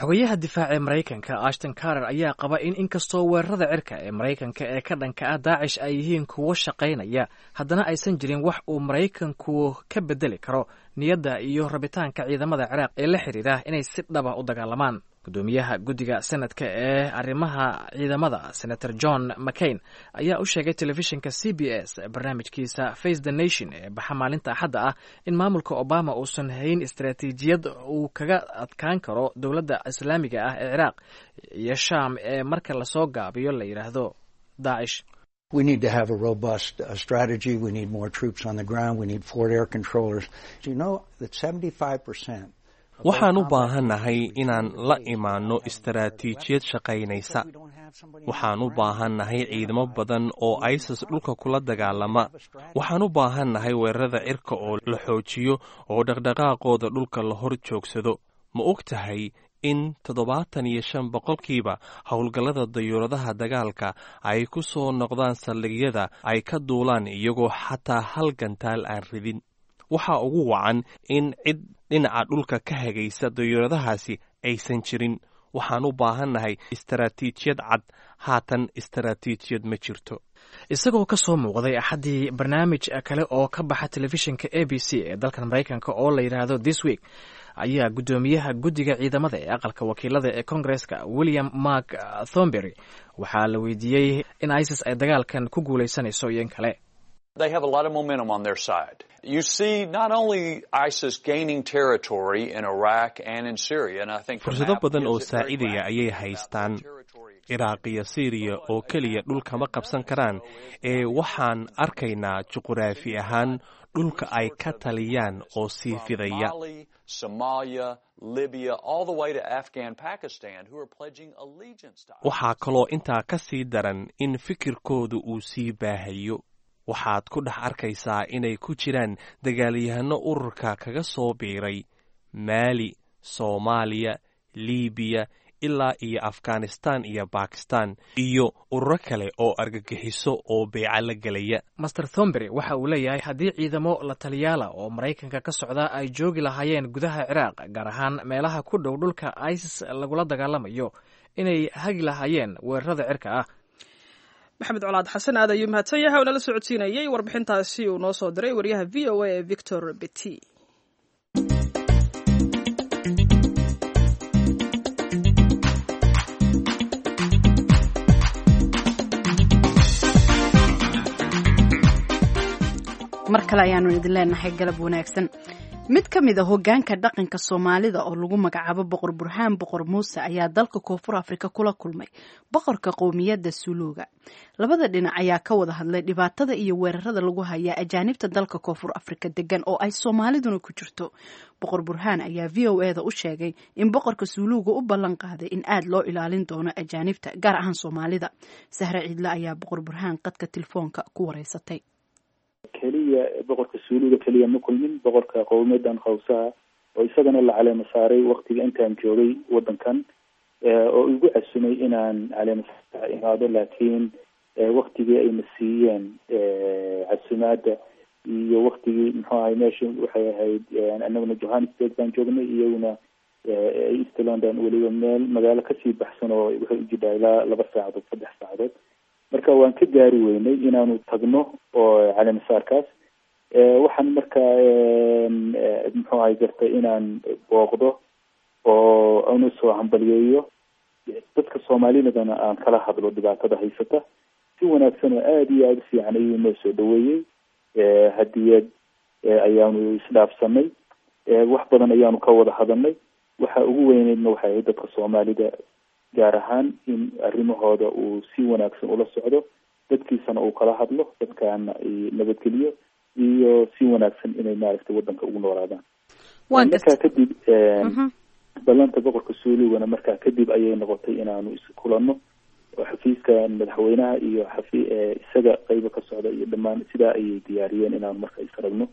Xogayaha difaaca ee Maraykanka Ashton Carter ayaa qaba in inkastoo weerarada cirka ee Maraykanka ee ka dhanka ah Daacish ay yihiin kuwo shaqaynaya, haddana aysan jirin wax uu Maraykanku ka bedeli karo niyadda iyo rabitaanka ciidamada Ciraaq ee la xiriira inay si dhaba u dagaalamaan. Gudoomiyaha guddiga senadka ee arrimaha ciidamada, Senator John McCain, ayaa u sheegay telefishinka C B S barnaamijkiisa Face the Nation ee baxa maalinta Axadda ah in maamulka Obama uusan hayn istaraatiijiyad uu kaga adkaan karo Dowladda Islaamiga ah ee Ciraaq iyo Shaam ee marka lasoo gaabiyo la yidhaahdo Daacish. We need to have a robust uh, strategy. We need more troops on the ground. We need forward air controllers. Do you know that seventy-five percent Waxaan u baahannahay inaan la imaanno istaraatiijiyad shaqaynaysa. Waxaan u baahannahay ciidamo badan oo ISIS dhulka kula dagaalama. Waxaan u baahannahay weerarada cirka oo la xoojiyo oo dhaqdhaqaaqooda dhulka la hor joogsado. Ma og tahay in toddobaatan iyo shan boqolkiiba howlgallada dayuuradaha dagaalka ay ku soo noqdaan saldhigyada ay ka duulaan iyagoo xataa hal gantaal aan ridin? Waxaa ugu wacan in cid dhinaca dhulka ka hagaysa dayuuradahaasi aysan jirin. Waxaan u baahannahay istaraatiijiyad cad. Haatan istaraatiijiyad ma jirto. Isagoo ka soo muuqday Axaddii barnaamij kale oo ka baxa telefishinka A B C ee dalkan Maraykanka oo la yidhaahdo This Week, ayaa guddoomiyaha guddiga ciidamada ee aqalka wakiilada ee Koongareska, William Mark Thornberry, waxaa la weydiiyey in ISIS ay dagaalkan ku guulaysanayso iyo in kale. They have a lot of momentum on their side. You see not only ISIS gaining territory in Iraq and in Syria, and I think Fursado badan oo saacidaya ayay haystaan. Ciraaq iyo Siiriya oo keliya dhulkama qabsan karaan ee waxaan arkaynaa juquraafi ahaan dhulka ay ka taliyaan oo sii fidaya. Somalia, Libya, all the way to Afghan, Pakistan, who are pledging allegiance to Waxaa kaloo intaa ka sii daran in fikirkoodu uu sii baahayo. Waxaad ku dhex arkaysaa inay ku jiraan dagaalyahano ururka kaga soo biiray Maali, Soomaaliya, Liibiya ilaa iyo Afghanistan iyo Bakistan iyo ururo kale oo argagixiso oo beeca la gelaya. Mister Thornberry waxa uu leeyahay haddii ciidamo la taliyaala oo Maraykanka ka socda ay joogi lahaayeen gudaha Ciraaq, gaar ahaan meelaha ku dhow dhulka ISIS lagula dagaalamayo, inay hagi lahaayeen weerarada cirka ah. Maxamed Colaad Xasan aad ayuu mahadsan yahay oo nala socodsiinayay warbixintaasi uu noo soo diray wariyaha V O A ee Victor Beti. Mar kale ayaanu idin leenahay galab wanaagsan. Mid ka mid a hoggaanka dhaqanka Soomaalida oo lagu magacaabo Boqor Burhaan Boqor Muuse ayaa dalka Koonfur Afrika kula kulmay boqorka qowmiyadda Suluuga. Labada dhinac ayaa ka wada hadlay dhibaatada iyo weerarada lagu hayaa ajaanibta dalka Koonfur Afrika degan oo ay Soomaaliduna ku jirto. Boqor Burhaan ayaa V O E da u sheegay in boqorka Suluuga u ballan qaaday in aad loo ilaalin doono ajaanibta, gaar ahaan Soomaalida. Sahre Ciidle ayaa Boqor Burhaan qadka telefoonka ku wareysatay. Keliya boqorka Suuluga keliya ma kulmin, boqorka qowmiyadan Khawsaha oo isagana la caleema saaray waktiga intaan joogay wadankan oo igu casumay inaan caleema saar imaado, laakiin waktigii ayna siiyeen casumaada iyo waktigii muxuu ahay meesha waxay ahayd, anaguna Johannesburg baan joognay, iyaguna East London, weliba meel magaalo kasii baxsan oo waxay ujidhaa ilaa laba saacadood, saddex saacadood. Marka waan ka gaari weynay inaanu tagno oo caleemasaarkaas. Waxaan marka muxuu ahay gartay inaan booqdo oo aanu soo hambaliyeeyo dadka Soomaalidana, aan kala hadlo dhibaatada haysata. Si wanaagsan oo aada iyo aada u fiican ayuu noo soo dhaweeyey. Hadiyad ayaanu isdhaafsanay, wax badan ayaanu ka wada hadalnay. Waxa ugu weyneydna waxay ahayd dadka Soomaalida gaar ahaan in arrimahooda uu si wanaagsan ula socdo, dadkiisana uu kala hadlo, dadkaana nabadgeliyo iyo si wanaagsan inay maaragtay wadanka ugu noolaadaan. Markaa kadib ballanta boqorka Suulugana markaa kadib ayay noqotay inaanu iskulanno oo xafiiska madaxweynaha iyo xafi isaga qeyba ka socda iyo dhammaan sidaa ayay diyaariyeen inaanu marka isaragno.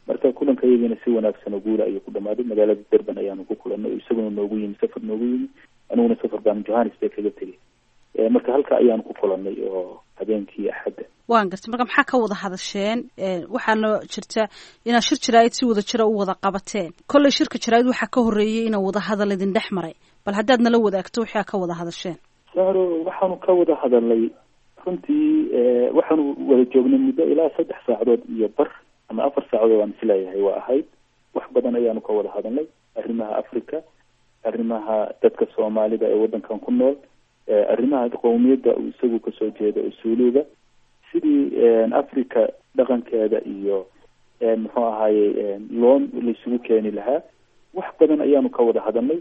Marka kulanka iyagina si wanaagsan oo guula ayuu ku dhamaaday. Magaalada Durban ayaanu ku kulanay oo isaguna noogu yimi, safar noogu yimi, aniguna safar baan Johannesburg kaga tegay. Marka halka ayaanu ku kulanay oo habeenkii Axadda. Waan gartay. Marka maxaa ka wada hadasheen? Waxaana jirta inaad shir jaraa'id si wada jira u wada qabateen. Kolley shirka jaraa'id waxaa ka horreeyey inaa wada hadal idin dhex maray. Bal haddaad nala wadaagto waxaa ka wada hadasheen. Sahro, waxaanu ka wada hadalnay runtii, waxaanu wada joognay muddo ilaa saddex saacadood iyo bar ama afar saacadood aan isleeyahay waa ahayd. Wax badan ayaanu ka wada hadalnay, arrimaha Africa, arrimaha dadka Soomaalida ee waddankan ku nool, arrimaha qowmiyadda uu isagu kasoo jeeda oo Suuluga, sidii Africa dhaqankeeda iyo muxuu ahaayey loo laisugu keeni lahaa. Wax badan ayaanu ka wada hadalnay.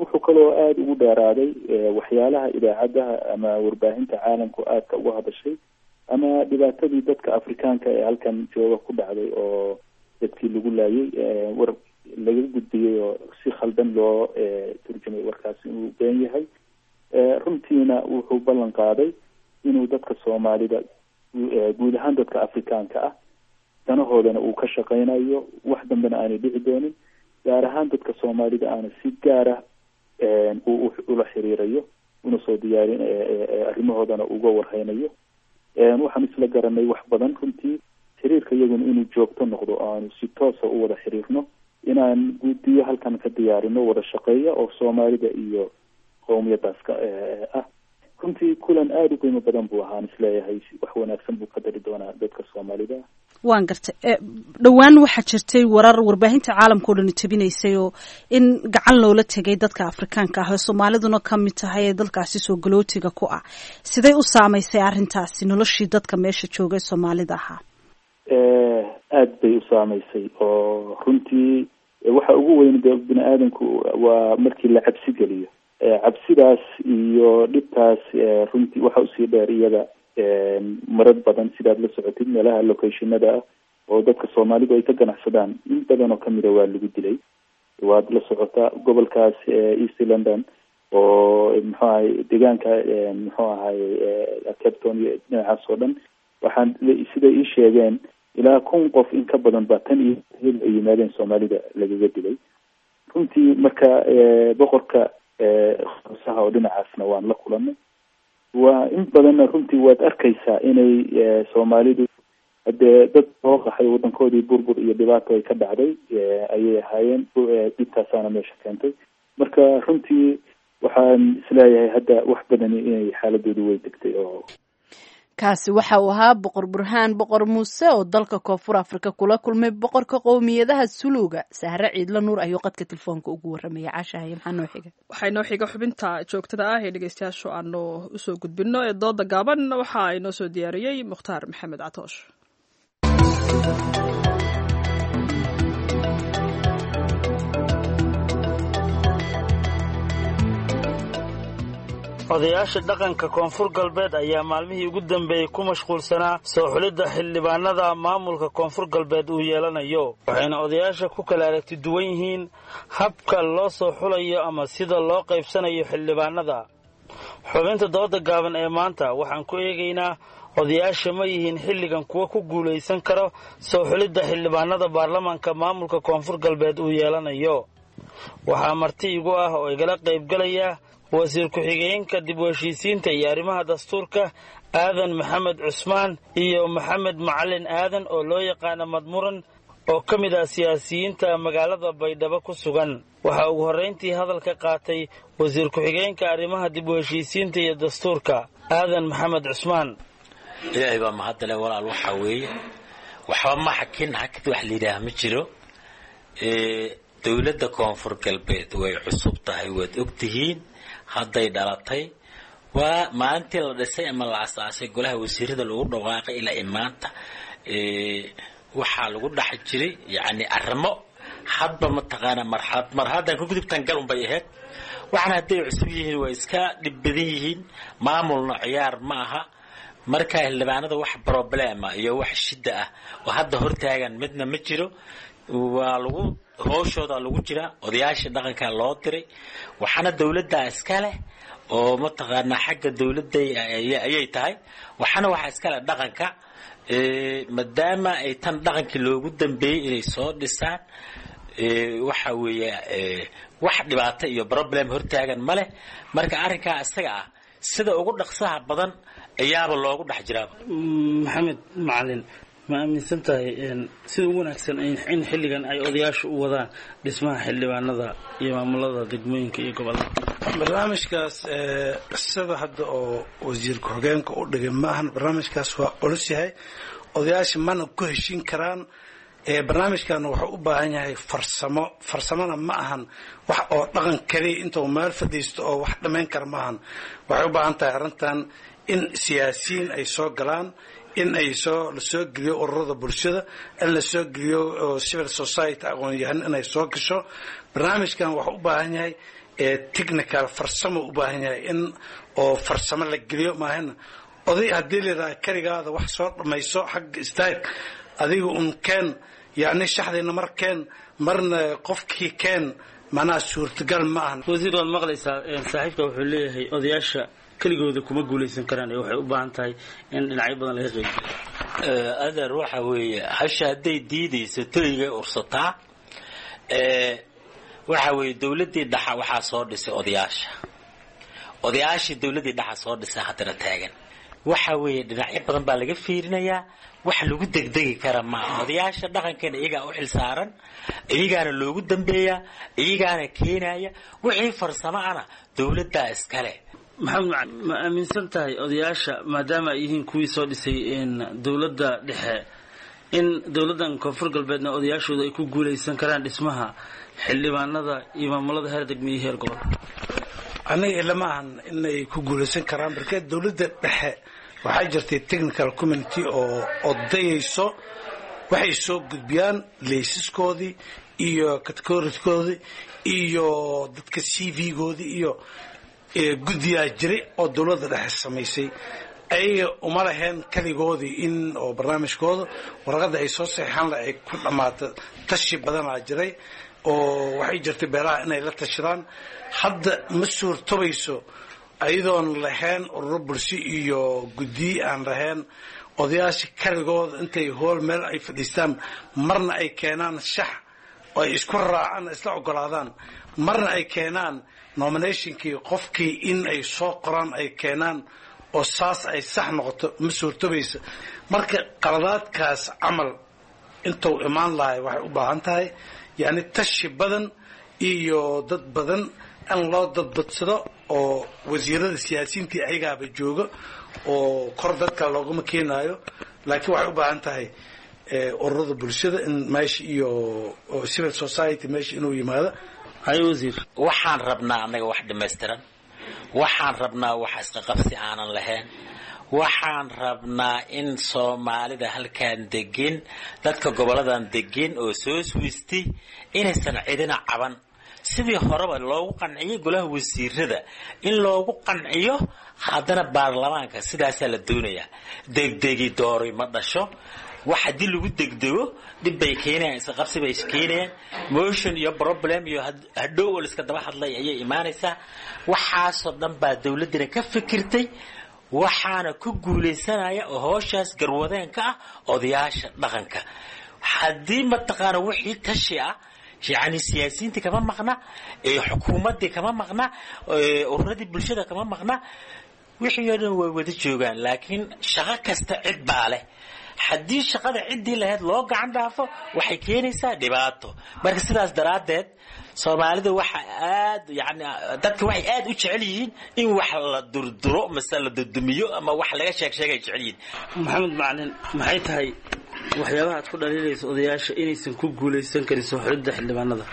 Wuxuu kaloo aada ugu dheeraaday waxyaalaha idaacadaha ama warbaahinta caalamku aadka uga hadashay ama dhibaatadii dadka Afrikaanka ee halkan jooga ku dhacday oo dadkii lagu laayay, war laga gudbiyey oo si khaldan loo turjumay warkaasi inuu been yahay. Runtiina wuxuu ballan qaaday inuu dadka Soomaalida, guud ahaan dadka Afrikaanka ah, danahoodana uu ka shaqeynayo, wax dambena aanay dhici doonin, gaar ahaan dadka Soomaalida aana si gaara uu ula xiriirayo una soo diyaarin arrimahoodana uga warhaynayo. Waxaan isla garanay wax badan runtii, xiriirka iyaguna inuu joogto noqdo oo aanu si toosa u wada xiriirno, inaan guddiyo halkan ka diyaarino wada shaqeeya oo Soomaalida iyo qowmiyadaas ka ah. Runtii kulan aada u qiimo badan buu ahaan, isleeyahay wax wanaagsan buu ka dari doonaa dadka Soomaalida. Waan gartay. Dhowaan waxaa jirtay warar warbaahinta caalamka o dhan tabinaysay oo in gacan loola tegay dadka Afrikaanka ah oo Soomaaliduna ka mid tahay ee dalkaasi soo galootiga ku ah. Sidee u saamaysay arrintaasi noloshii dadka meesha joogay Soomaalida ahaa? Aada bay u saamaysay oo runtii waxa ugu weyn dee bini aadamku waa markii la cabsi geliyo, cabsidaas iyo dhibtaas runtii waxa usii dheer iyada marar badan sidaad la socotid meelaha locationada ah oo dadka Soomaalidu ay ka ganacsadaan in badan oo kamida waa lagu dilay. Waad la socotaa gobolkaas East London oo muxuu ahay deegaanka muxuu ahay Cape Town iyo dhinacaas oo dhan, waxaan siday ii sheegeen ilaa kun qof in ka badan baa tan iyo hil ay yimaadeen Soomaalida lagaga dilay runtii. Marka boqorka khoosaha oo dhinacaasna waan la kulanay, waa in badanna runtii waad arkaysaa inay Soomaalidu hadee dad soo qaxay wadankoodii burbur iyo dhibaato ay ka dhacday ayay ahaayeen, dhibtaasaana meesha keentay. Marka runtii waxaan isleeyahay hadda wax badani inay xaaladoodu way degtay. Oo kaasi waxa uu ahaa Boqor Burhaan Boqor Muuse oo dalka Koonfur Afrika kula kulmay boqorka qowmiyadaha Suluuga. Sahre Ciidla Nuur ayuu qadka telefoonka ugu warramaya. Caashahay, maxaa noo xiga? Waxaa inoo xiga xubinta joogtada ah ee dhegeystayaashu aanu usoo gudbino ee dooda gaaban. Waxa inoo soo diyaariyey Mukhtaar Maxamed Catoosh. Odayaasha dhaqanka Koonfur Galbeed ayaa maalmihii ugu dambeeyey ku mashquulsanaa soo xulidda xildhibaanada maamulka Koonfur Galbeed uu yeelanayo, waxayna odayaasha ku kala aragti duwan yihiin habka loo soo xulayo ama sida loo qaybsanayo xildhibaanada. Xubinta dooda gaaban ee maanta waxaan ku eegaynaa odayaasha ma yihiin xilligan kuwa ku guulaysan karo soo xulidda xildhibaanada baarlamaanka maamulka Koonfur Galbeed uu yeelanayo. Waxaa marti igu ah oo igala qaybgalaya wasiir ku-xigeenka dib u heshiisiinta iyo arrimaha dastuurka Aadan Maxamed Cusmaan iyo Maxamed Macalin Aadan oo loo yaqaana Madmuran oo ka mid ah siyaasiyiinta magaalada Baydhabo ku sugan. Waxaa ugu horrayntii hadalka qaatay wasiir ku-xigeenka arrimaha dib u heshiisiinta iyo dastuurka Aadan Maxamed Cusmaan. Ilaahay baa mahadale walaal, waxaa weeye waxba ma xakin hakid wax la yidhaah ma jiro. Dowladda Koonfur Galbeed way cusub tahay, waad ogtihiin, hadday dhalatay, waa maalintii la dhisay ama la asaasay golaha wasiirada lagu dhawaaqay ilaa imaanta waxaa lagu dhex jiray yacni arrimo hadba mataqaanaa marxalad marxaladdan ka gudubtan gal unbay ahayd. Waxaana hadday cusub yihiin waa iska dhib badan yihiin, maamulna ciyaar ma aha. Marka xildhibaanada wax problema iyo wax shida ah oo hadda hortaagan midna ma jiro, waa lagu hooshooda lagu jiraa, odayaasha dhaqanka loo diray, waxaana dowladda iska leh oo mataqaanaa xagga dowladda ayay tahay, waxaana waxaa iska leh dhaqanka, maadaama ay tan dhaqankii loogu dambeeyey inay soo dhisaan. Waxa weeye wax dhibaato iyo problem hortaagan ma leh. Marka arrinkaa isaga ah sida ugu dhaqsaha badan ayaaba loogu dhex jiraaba. Maxamed Macalin, ma aaminsan tahay sida ugu wanaagsan in xilligan ay odayaashu u wadaan dhismaha xildhibaanada iyo maamulada degmooyinka iyo gobolada? Barnaamijkaas sida hadda oo wasiir ku-xigeenka u dhigay maahan, barnaamijkaas waa culus yahay, odayaasha mana ku heshin karaan. Barnaamijkan wuxuu u baahan yahay farsamo. Farsamona ma ahan wax oo dhaqan kaliya intuu meel fadhiisto oo wax dhammayn kara ma ahan. Waxay u baahan tahay arrintan in siyaasiyiin ay soo galaan, in ay soo la soo geliyo ururada bulshada, in la soo geliyo civil society, aqoon-yahan inay soo gasho. Barnaamijkan wuxuu u baahan yahay technical, farsamo u baahan yahay in oo farsamo la geliyo. Maahana oday haddii la yidhaha keligaada wax soo dhammayso, xagga istaag, adiga un keen, yacni shaxdiina mar keen, marna qofkii keen, macnaha suurtagal ma ahan. Wasiir, waad maqlaysaa, saaxiibka wuxuu leeyahay odayaasha keligooda kuma guulaysan karaan ee waxay u baahan tahay in dhinacyo badan laga qeyb. Adeer, waxa weeye hasha hadday diidayso toygay ursataa. Waxa weeye dowladdii dhaxa waxaa soo dhisay odayaasha, odayaashii dowladdii dhaxa soo dhisay haddana taagan. Waxa weeye dhinacyo badan baa laga fiirinayaa, wax lagu degdegi kara maaha. Odayaasha dhaqankeena iyagaa u xil saaran, iyagaana loogu dambeeyaa, iyagaana keenaya wixii farsamo ana dowladdaa iskale. Maxamed Macalin, ma aaminsan tahay odayaasha maadaama ay yihiin kuwii soo dhisay dowladda dhexe in dowladdan Koonfur Galbeedna odayaashooda ay ku guulaysan karaan dhismaha xildhibaanada iyo maamulada heer degmo iyo heer gobol? Aniga ilama ahan inay ku guulaysan karaan, marka dowladda dhexe waxaa jirtay technical community oo odayayso, waxay soo gudbiyaan laysaskoodii iyo categorikoodii iyo dadka C V-goodii iyo guddiyaa jiray oo dowladda dhexe samaysay. Ayaga uma laheen keligoodii in oo barnaamijkooda warqadda ay soo saxeexaan la ay ku dhammaato. Tashi badanaa jiray oo waxay jirtay beelaha inay la tashadaan. Hadda ma suurtobayso ayadoon lahayn ururo bulsho iyo guddiyi aan lahayn. Odayaasha keligooda intay hool meel ay fadhiistaan, marna ay keenaan shax oo ay isku raacaan, isla ogolaadaan, marna ay keenaan nominationkii qofkii in ay soo qoraan ay keenaan oo saas ay sax noqoto, ma suurtobaysa. Marka qaladaadkaas camal intuu imaan lahay waxay u baahan tahay yacni tashi badan iyo dad badan in loo dadbadsado oo wasiirada siyaasiyiintii ayagaaba jooga oo kor dadka loogama keenaayo, laakiin waxay u baahan tahay ururada bulshada in meesha iyo civil society meesha inuu yimaado. Wasiir, waxaan rabnaa annaga wax dhammaystiran, waxaan rabnaa wax isqaqabsi aanan lahayn, waxaan rabnaa in Soomaalida halkaan degin, dadka goboladan degin oo soo swisti inaysan cidina caban. Sidii horeba loogu qanciyay golaha wasiirada in loogu qanciyo haddana baarlamaanka, sidaasaa la doonayaa. Degdegi doori ma dhasho. Wax haddii lagu degdego dhib bay keenayaan, isqabsi bay keenayaan, motion iyo problem iyo hadhow oo liska daba hadlay ayay imaanaysaa. Waxaasoo dhan baa dowladdina ka fikirtay, waxaana ku guulaysanaya oo howshaas garwadeenka ah odayaasha dhaqanka. Haddii mataqaana wixii tashi ah, yacni siyaasiyiintii kama maqna, xukuumaddii kama maqna, ururadii bulshada kama maqna, wixii oo dhan way wada joogaan. Laakiin shaqo kasta cid baa leh. Haddii shaqada ciddii lahayd loo gacan dhaafo waxay keenaysaa dhibaato. Marka sidaas daraaddeed Soomaalida waxa aad yani dadka waxay aad u jecel yihiin in wax la durduro mase la dudumiyo ama wax laga sheeg sheegay jecel yihiin. Maxamed Macalin, maxay tahay waxyaabaha aad ku dhaliilayso odayaasha inaysan ku guulaysan karin soo xulidda xildhibaanada?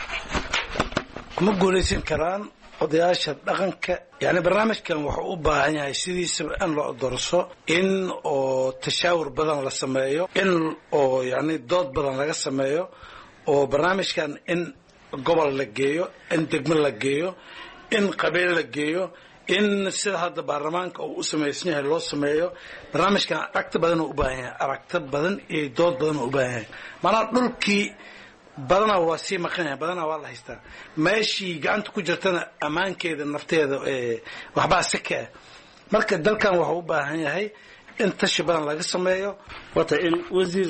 Kuma guulaysan karaan odayaasha dhaqanka. Yani barnaamijkan wuxuu u baahan yahay sidiisaba in loo dorso, in oo tashaawur badan la sameeyo, in oo yani dood badan laga sameeyo, oo barnaamijkan in gobol la geeyo, in degmo la geeyo, in qabiil la geeyo, in sida hadda baarlamaanka uu u samaysan yahay loo sameeyo. Barnaamijkan aragti badan uu u baahan yahay, aragti badan iyo dood badan uu u baahan yahay. Maanaa dhulkii badanaa waa sii maqan yahay, badanaa waa la haystaa, meeshii gacanta ku jirtana ammaankeeda nafteeda waxbaa si ka ah. Marka dalkan wuxuu u baahan yahay in tashi badan laga sameeyo. Wata in wasiir,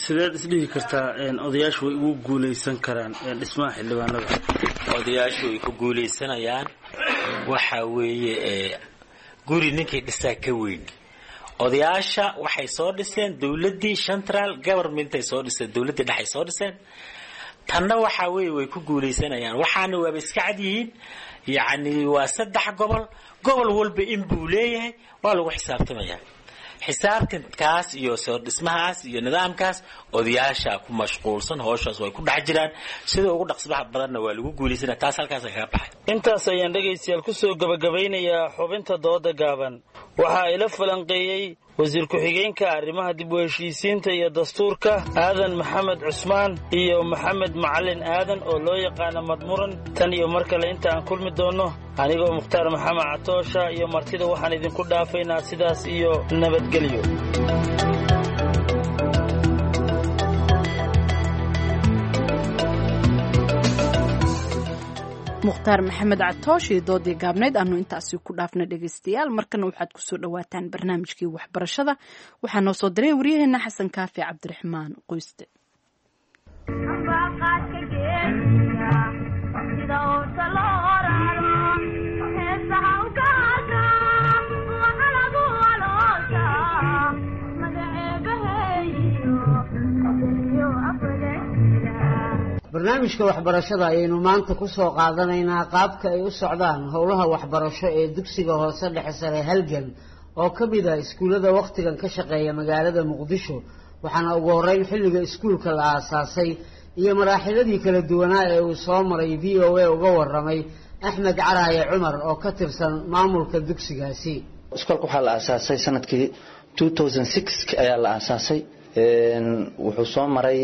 sideed isdhihi kartaa odayaashu way ugu guulaysan karaan dhismaha xildhibaanada? Odayaashu way ku guulaysanayaan. Waxa weeye guri ninkii dhisaa ka weyn. Odayaasha waxay soo dhiseen dowladdii central governmentay soo dhiseen, dowladdii dhexay soo dhiseen. Tanna waxa weeye way ku guulaysanayaan, waxaana waaba iska cad yihiin. Yacni waa saddex gobol, gobol walba in buu leeyahay, waa lagu xisaabtamayaa. Xisaabtankaas iyo soo dhismahaas iyo nidaamkaas odayaasha ku mashquulsan howshaas way ku dhex jiraan, sida ugu dhaqsbaxa badanna waa lagu guulaysana. Taas halkaas kaga baxay. Intaas ayaan dhegaystayaal kusoo gabagabaynayaa xubinta dooda gaaban. Waxaa ila falanqeeyey wasiir ku-xigeenka arrimaha dib u heshiisiinta iyo dastuurka Aadan Maxamed Cusmaan iyo Maxamed Macalin Aadan oo loo yaqaano Madmuran. Tan iyo mar kale inta aan kulmi doonno, anigoo Mukhtaar Maxamed Catoosha iyo martida waxaan idinku dhaafaynaa sidaas iyo nabadgelyo. Mukhtaar Maxamed Catoosh iyo doodii gaabnayd aanu intaasi ku dhaafna dhegaystayaal. Markana waxaad kusoo dhawaataan barnaamijkii waxbarashada. Waxaa noo soo diray waryaheena Xasan Kaafi Cabdiraxmaan Qoyste. Barnaamijka waxbarashada ayaynu maanta ku soo qaadanaynaa qaabka ay u socdaan howlaha waxbarasho ee dugsiga hoose dhexe sare Halgan oo ka mid ah iskuullada wakhtigan ka shaqeeya magaalada Muqdisho. Waxaana ugu horreyn xilliga iskuulka la aasaasay iyo maraaxiladii kala duwanaa ee uu soo maray V O A uga warramay Axmed Caraaye Cumar oo ka tirsan maamulka dugsigaasi. Iskoolka waxaa la aasaasay sanadkii two thousand six ayaa la aasaasay. Wuxuu soo maray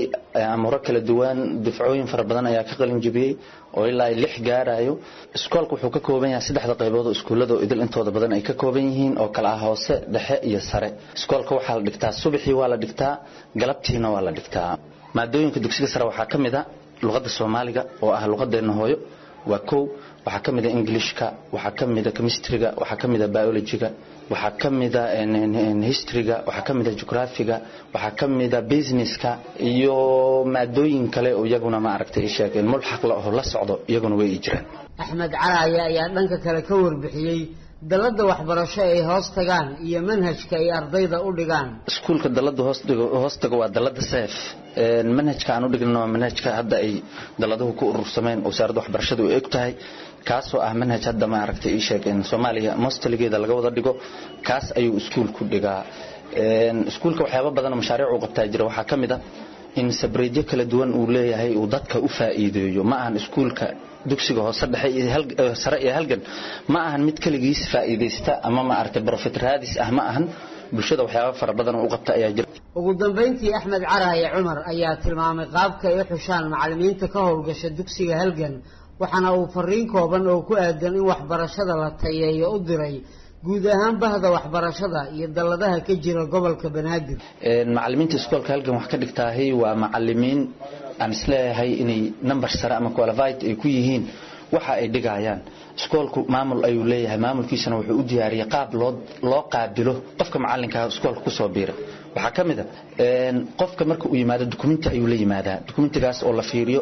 amuro kala duwan, dufcooyin fara badan ayaa ka qalin jebiyey oo ilaa lix gaarayo. Iskoolka wuxuu ka kooban yahay saddexda qaybood oo iskuullada oo idil intooda badan ay ka kooban yihiin oo kala ah hoose, dhexe iyo sare. Iskoolka waxaa la dhigtaa subaxii, waa la dhigtaa galabtiina, waa la dhigtaa. Maadooyinka dugsiga sare waxaa ka mid a luqadda Soomaaliga oo ah luqadeenna hooyo, waa kow. Waxaa ka mid a Englishka, waxaa ka mid a chemistryga, waxaa ka mid a biologyga, waxaa ka mid a historyga, waxaa ka mid a geographyga, waxaa ka mid a businesska iyo maadooyin kale oo iyaguna ma aragtay sheeg mulxaq la oo la socdo, iyaguna way jiraan. Axmed Caraaye ayaa dhanka kale ka warbixiyey dalladda waxbarasho ay hoos tagaan iyo manhajka ay ardayda u dhigaan. Iskuulka dalladda hoos dhigo hoos tago waa dalladda SEF. Manhajka aan u dhigno waa manhajka hadda ay dalladuhu ku urursameen wasaaradda waxbarashadu ay og tahay, kaasoo ah manhaj hadda ma aragtay ii sheeg in Soomaaliya mostligeeda laga wada dhigo, kaas ayuu iskuulku dhigaa. Iskuulka waxyaabo badan oo mashaariic uu qabtaa jira. Waxaa ka mid ah in sabreedyo kala duwan uu leeyahay uu dadka u faa'iideeyo. Ma ahan iskuulka dugsiga hoose dhexe iyo sare iyo Halgan ma ahan mid kaligiis faa'iideysta ama ma aragtay profit raadis ah, ma ahan. Bulshada waxyaabo fara badan oo u qabta ayaa jira. Ugu dambeyntii Axmed Caraaye Cumar ayaa tilmaamay qaabka ay u xushaan macallimiinta ka howlgasha dugsiga Halgan, waxaana uu fariin kooban oo ku aadan in waxbarashada la tayeeyo u diray guud ahaan bahda waxbarashada iyo dalladaha ka jira gobolka Banaadir. Macallimiinta iskoolka Halgan wax ka dhigtaahi waa macallimiin aan isleeyahay inay number sare ama qualified ay ku yihiin waxa ay dhigayaan. Iskoolku maamul ayuu leeyahay, maamulkiisana wuxuu u diyaariyey qaab loo loo qaabilo qofka macallinka iskoolka kusoo biira. Waxaa ka mid a qofka marka uu yimaado dukumenti ayuu la yimaadaa, dukumentigaas oo la fiiriyo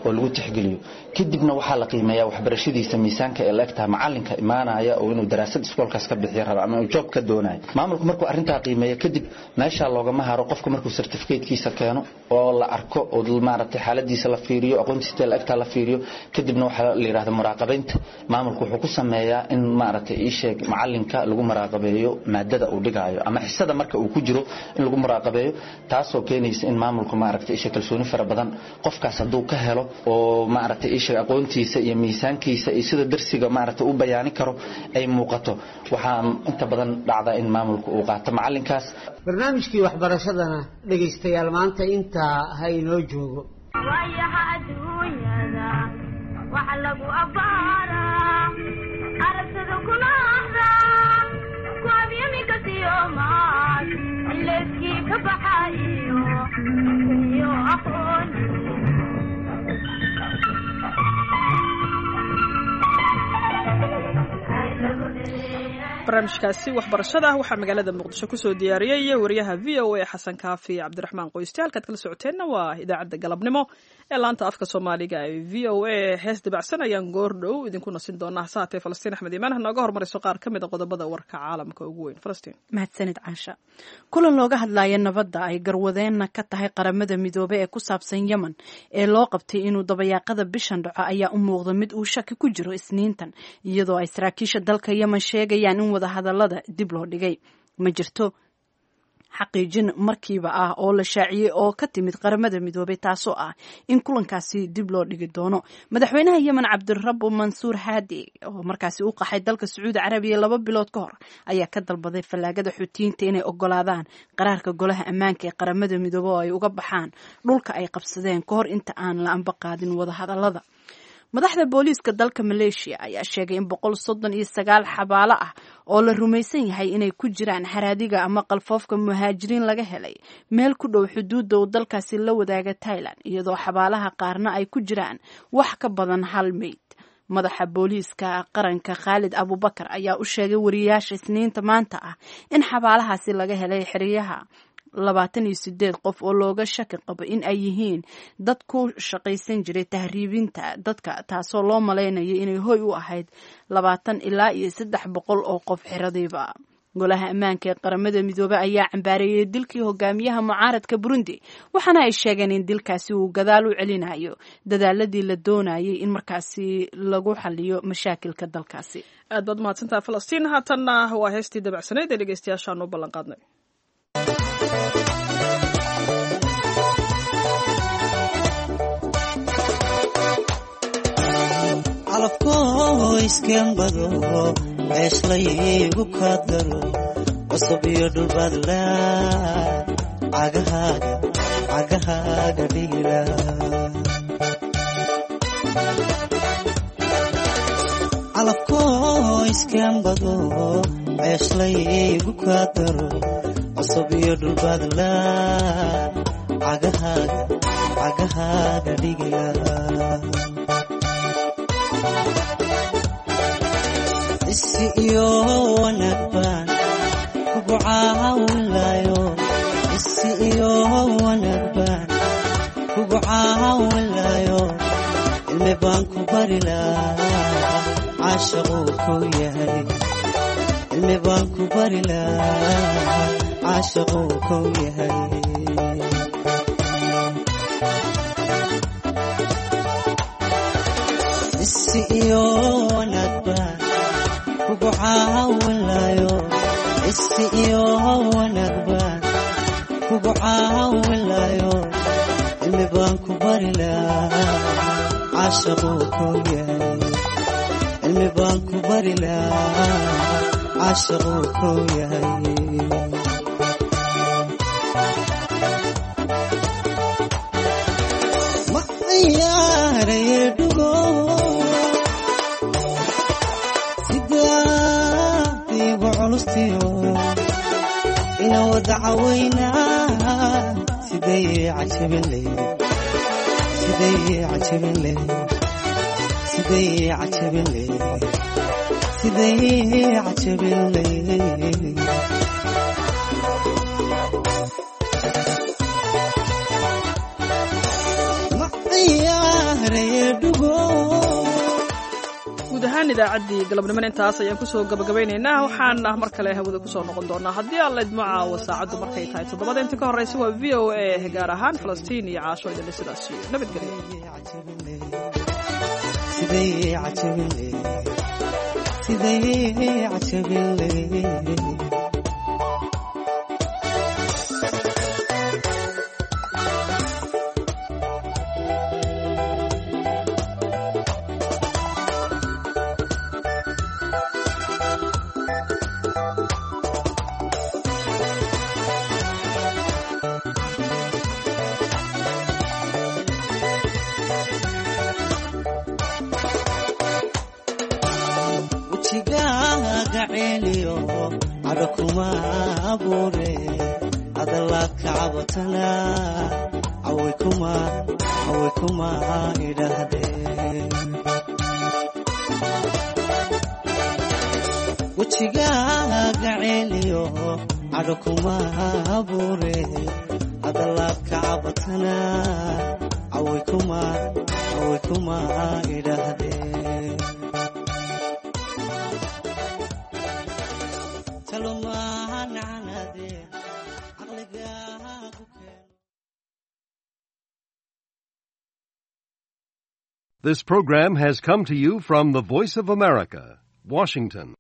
oo lagu tixgeliyo. Kadibna waxaa la qiimeeyaa waxbarashadiisa miisaanka ee la egtaha macalinka imaanaya oo inuu daraasad iskoolkaas ka bixiyo raba ama uu job ka doonayo. Maamulku markuu arrintaa qiimeeyo kadib meeshaa loogama haro. Qofka markuu certificatekiisa keeno oo la arko oo maaragtay xaaladiisa la fiiriyo, aqoontiisa la egtaa la fiiriyo, kadibna waxaa la yidhahda muraaqabaynta. Maamulku wuxuu ku sameeyaa in maaragtay ii sheeg macalinka lagu muraaqabeeyo maadada uu dhigaayo ama xisada marka uu ku jiro in lagu muraaqabeeyo, taasoo keenaysa in maamulku maaragtay isha kalsooni fara badan qofkaas hadduu ka helo oo maaragtay isha aqoontiisa iyo miisaankiisa iyo sida darsiga maaragtay u bayaani karo ay muuqato. Waxaa inta badan dhacda in maamulku uu qaato macalinkaas. Barnaamijkii waxbarashadana dhegaystayaal maanta intaa ha inoo joogo. Barnaamijkaasi waxbarashada waxaa magaalada Muqdisho kusoo diyaariyey wariyaha V O A Xasan Kaafi Cabdiraxmaan Qoyste. Halkaad kala socoteenna waa idaacadda galabnimo ee laanta afka Soomaaliga ee V O A. Hees dabacsan ayaan goor dhow idinku nasin doonaa. Hase haatee Falastiin Axmed Iimaan ha nooga hormariso qaar ka mid a qodobada warka caalamka ugu weyn. Falastiin. Mahadsanid Caasha. Kulan looga hadlaya nabadda ay garwadeenna ka tahay Qaramada Midoobey ee ku saabsan Yemen ee loo qabtay inuu dabayaaqada bishan dhaco ayaa u muuqda mid uu shaki ku jiro Isniintan, iyadoo ay saraakiisha dalka Yemen sheegayaan in wadahadalada dib loo dhigay. Ma jirto Xaqiijin markiiba ah oo la shaaciyey oo ka timid Qaramada Midoobay, taasoo ah in kulankaasi dib loo dhigi doono. Madaxweynaha Yemen Cabdirabo Mansuur Haadi, oo markaasi u qaxay dalka Sacuudi Carabiya laba bilood ka hor, ayaa ka dalbaday fallaagada Xuutiyiinta inay ogolaadaan qaraarka Golaha Ammaanka ee Qaramada Midoobe oo ay uga baxaan dhulka ay qabsadeen ka hor inta aan la amba qaadin wadahadalada. Madaxda booliiska dalka Maleeshiya ayaa sheegay in boqol soddon iyo sagaal xabaalo ah oo la rumaysan yahay inay ku jiraan haraadiga ama qalfoofka muhaajiriin laga helay meel ku dhow xuduudda uu dalkaasi la wadaaga Thailand, iyadoo xabaalaha qaarna ay ku jiraan wax ka badan hal meyd. Madaxa booliiska qaranka Khaalid Abubakar ayaa u sheegay wariyaasha Isniinta maanta ah in xabaalahaasi laga helay xeryaha labaatan iyo sideed qof oo looga shaki qabo in ay yihiin dad ku shaqaysan jiray tahriibinta dadka, taasoo loo malaynayo inay hoy u ahayd labaatan ilaa iyo saddex boqol oo qof xeradiiba. Golaha Ammaanka ee Qaramada Midoobey ayaa cambaareeyey dilkii hogaamiyaha mucaaradka Burundi, waxaana ay sheegeen in dilkaasi uu gadaal u celinayo dadaaladii la doonayay in markaasi lagu xaliyo mashaakilka dalkaasi. Aad baad mahadsantaha, Falastiin. Haatanna waa heestii dabacsanayd ee dhegeystayaashaan u ballan qaadnay. Calafkoo iskembado ceeshlaygu kadaro cusub iyo dhulbadla cagahaaga cagahaaga dhigila. Calafkoo iskembado ceeshlaygu kadaro cusub iyo dhulbadla cagahaaga cagahaaga dhigila. Isi iyo wanaag baan kugu caawinlayo, isi iyo wanaag baan kugu caawinlayo, cilmi baan ku bari lahaa caashaquu ku yahay, cilmi baan ku bari lahaa caashaquu ku yahay. Isi iyo wanaag baan kugu caawinlayo, isi iyo wanaag baan kugu caawinlayo, cilmi baan ku bari lahaa caashaquu ku yahay, cilmi baan ku bari lahaa caashaquu ku yahay. Ma ciyaaraye dhugo sidaadiigu culustiyo ina wada cawaynaa, siday cajabin leyd, siday cajabin leyd, siday cajabin leyd, siday cajabin leyd. Ma ciyaaraye dhugo. Guud ahaan idaacaddii galabnimona intaas ayaan kusoo gabagabaynaynaa. Waxaana mar kale hawada kusoo noqon doonaa haddii Alla idmo caawo saacaddu markay tahay toddobada. Inta ka horraysa waa V O A, gaar ahaan Falastiin iyo Caasho idinle sidaas iyo nabadgelyo. Siday cajabin leyd, siday cajabin leyd. Wejigaaga celiyo cadho kuma abuure, adalaad ka cabatana caway kuma caway kuma idhaahdeen. Wejigaaga celiyo cadho kuma abuure, adalaad ka cabatana caway kuma caway kuma idhaahdeen. This program has come to you from the Voice of America, Washington.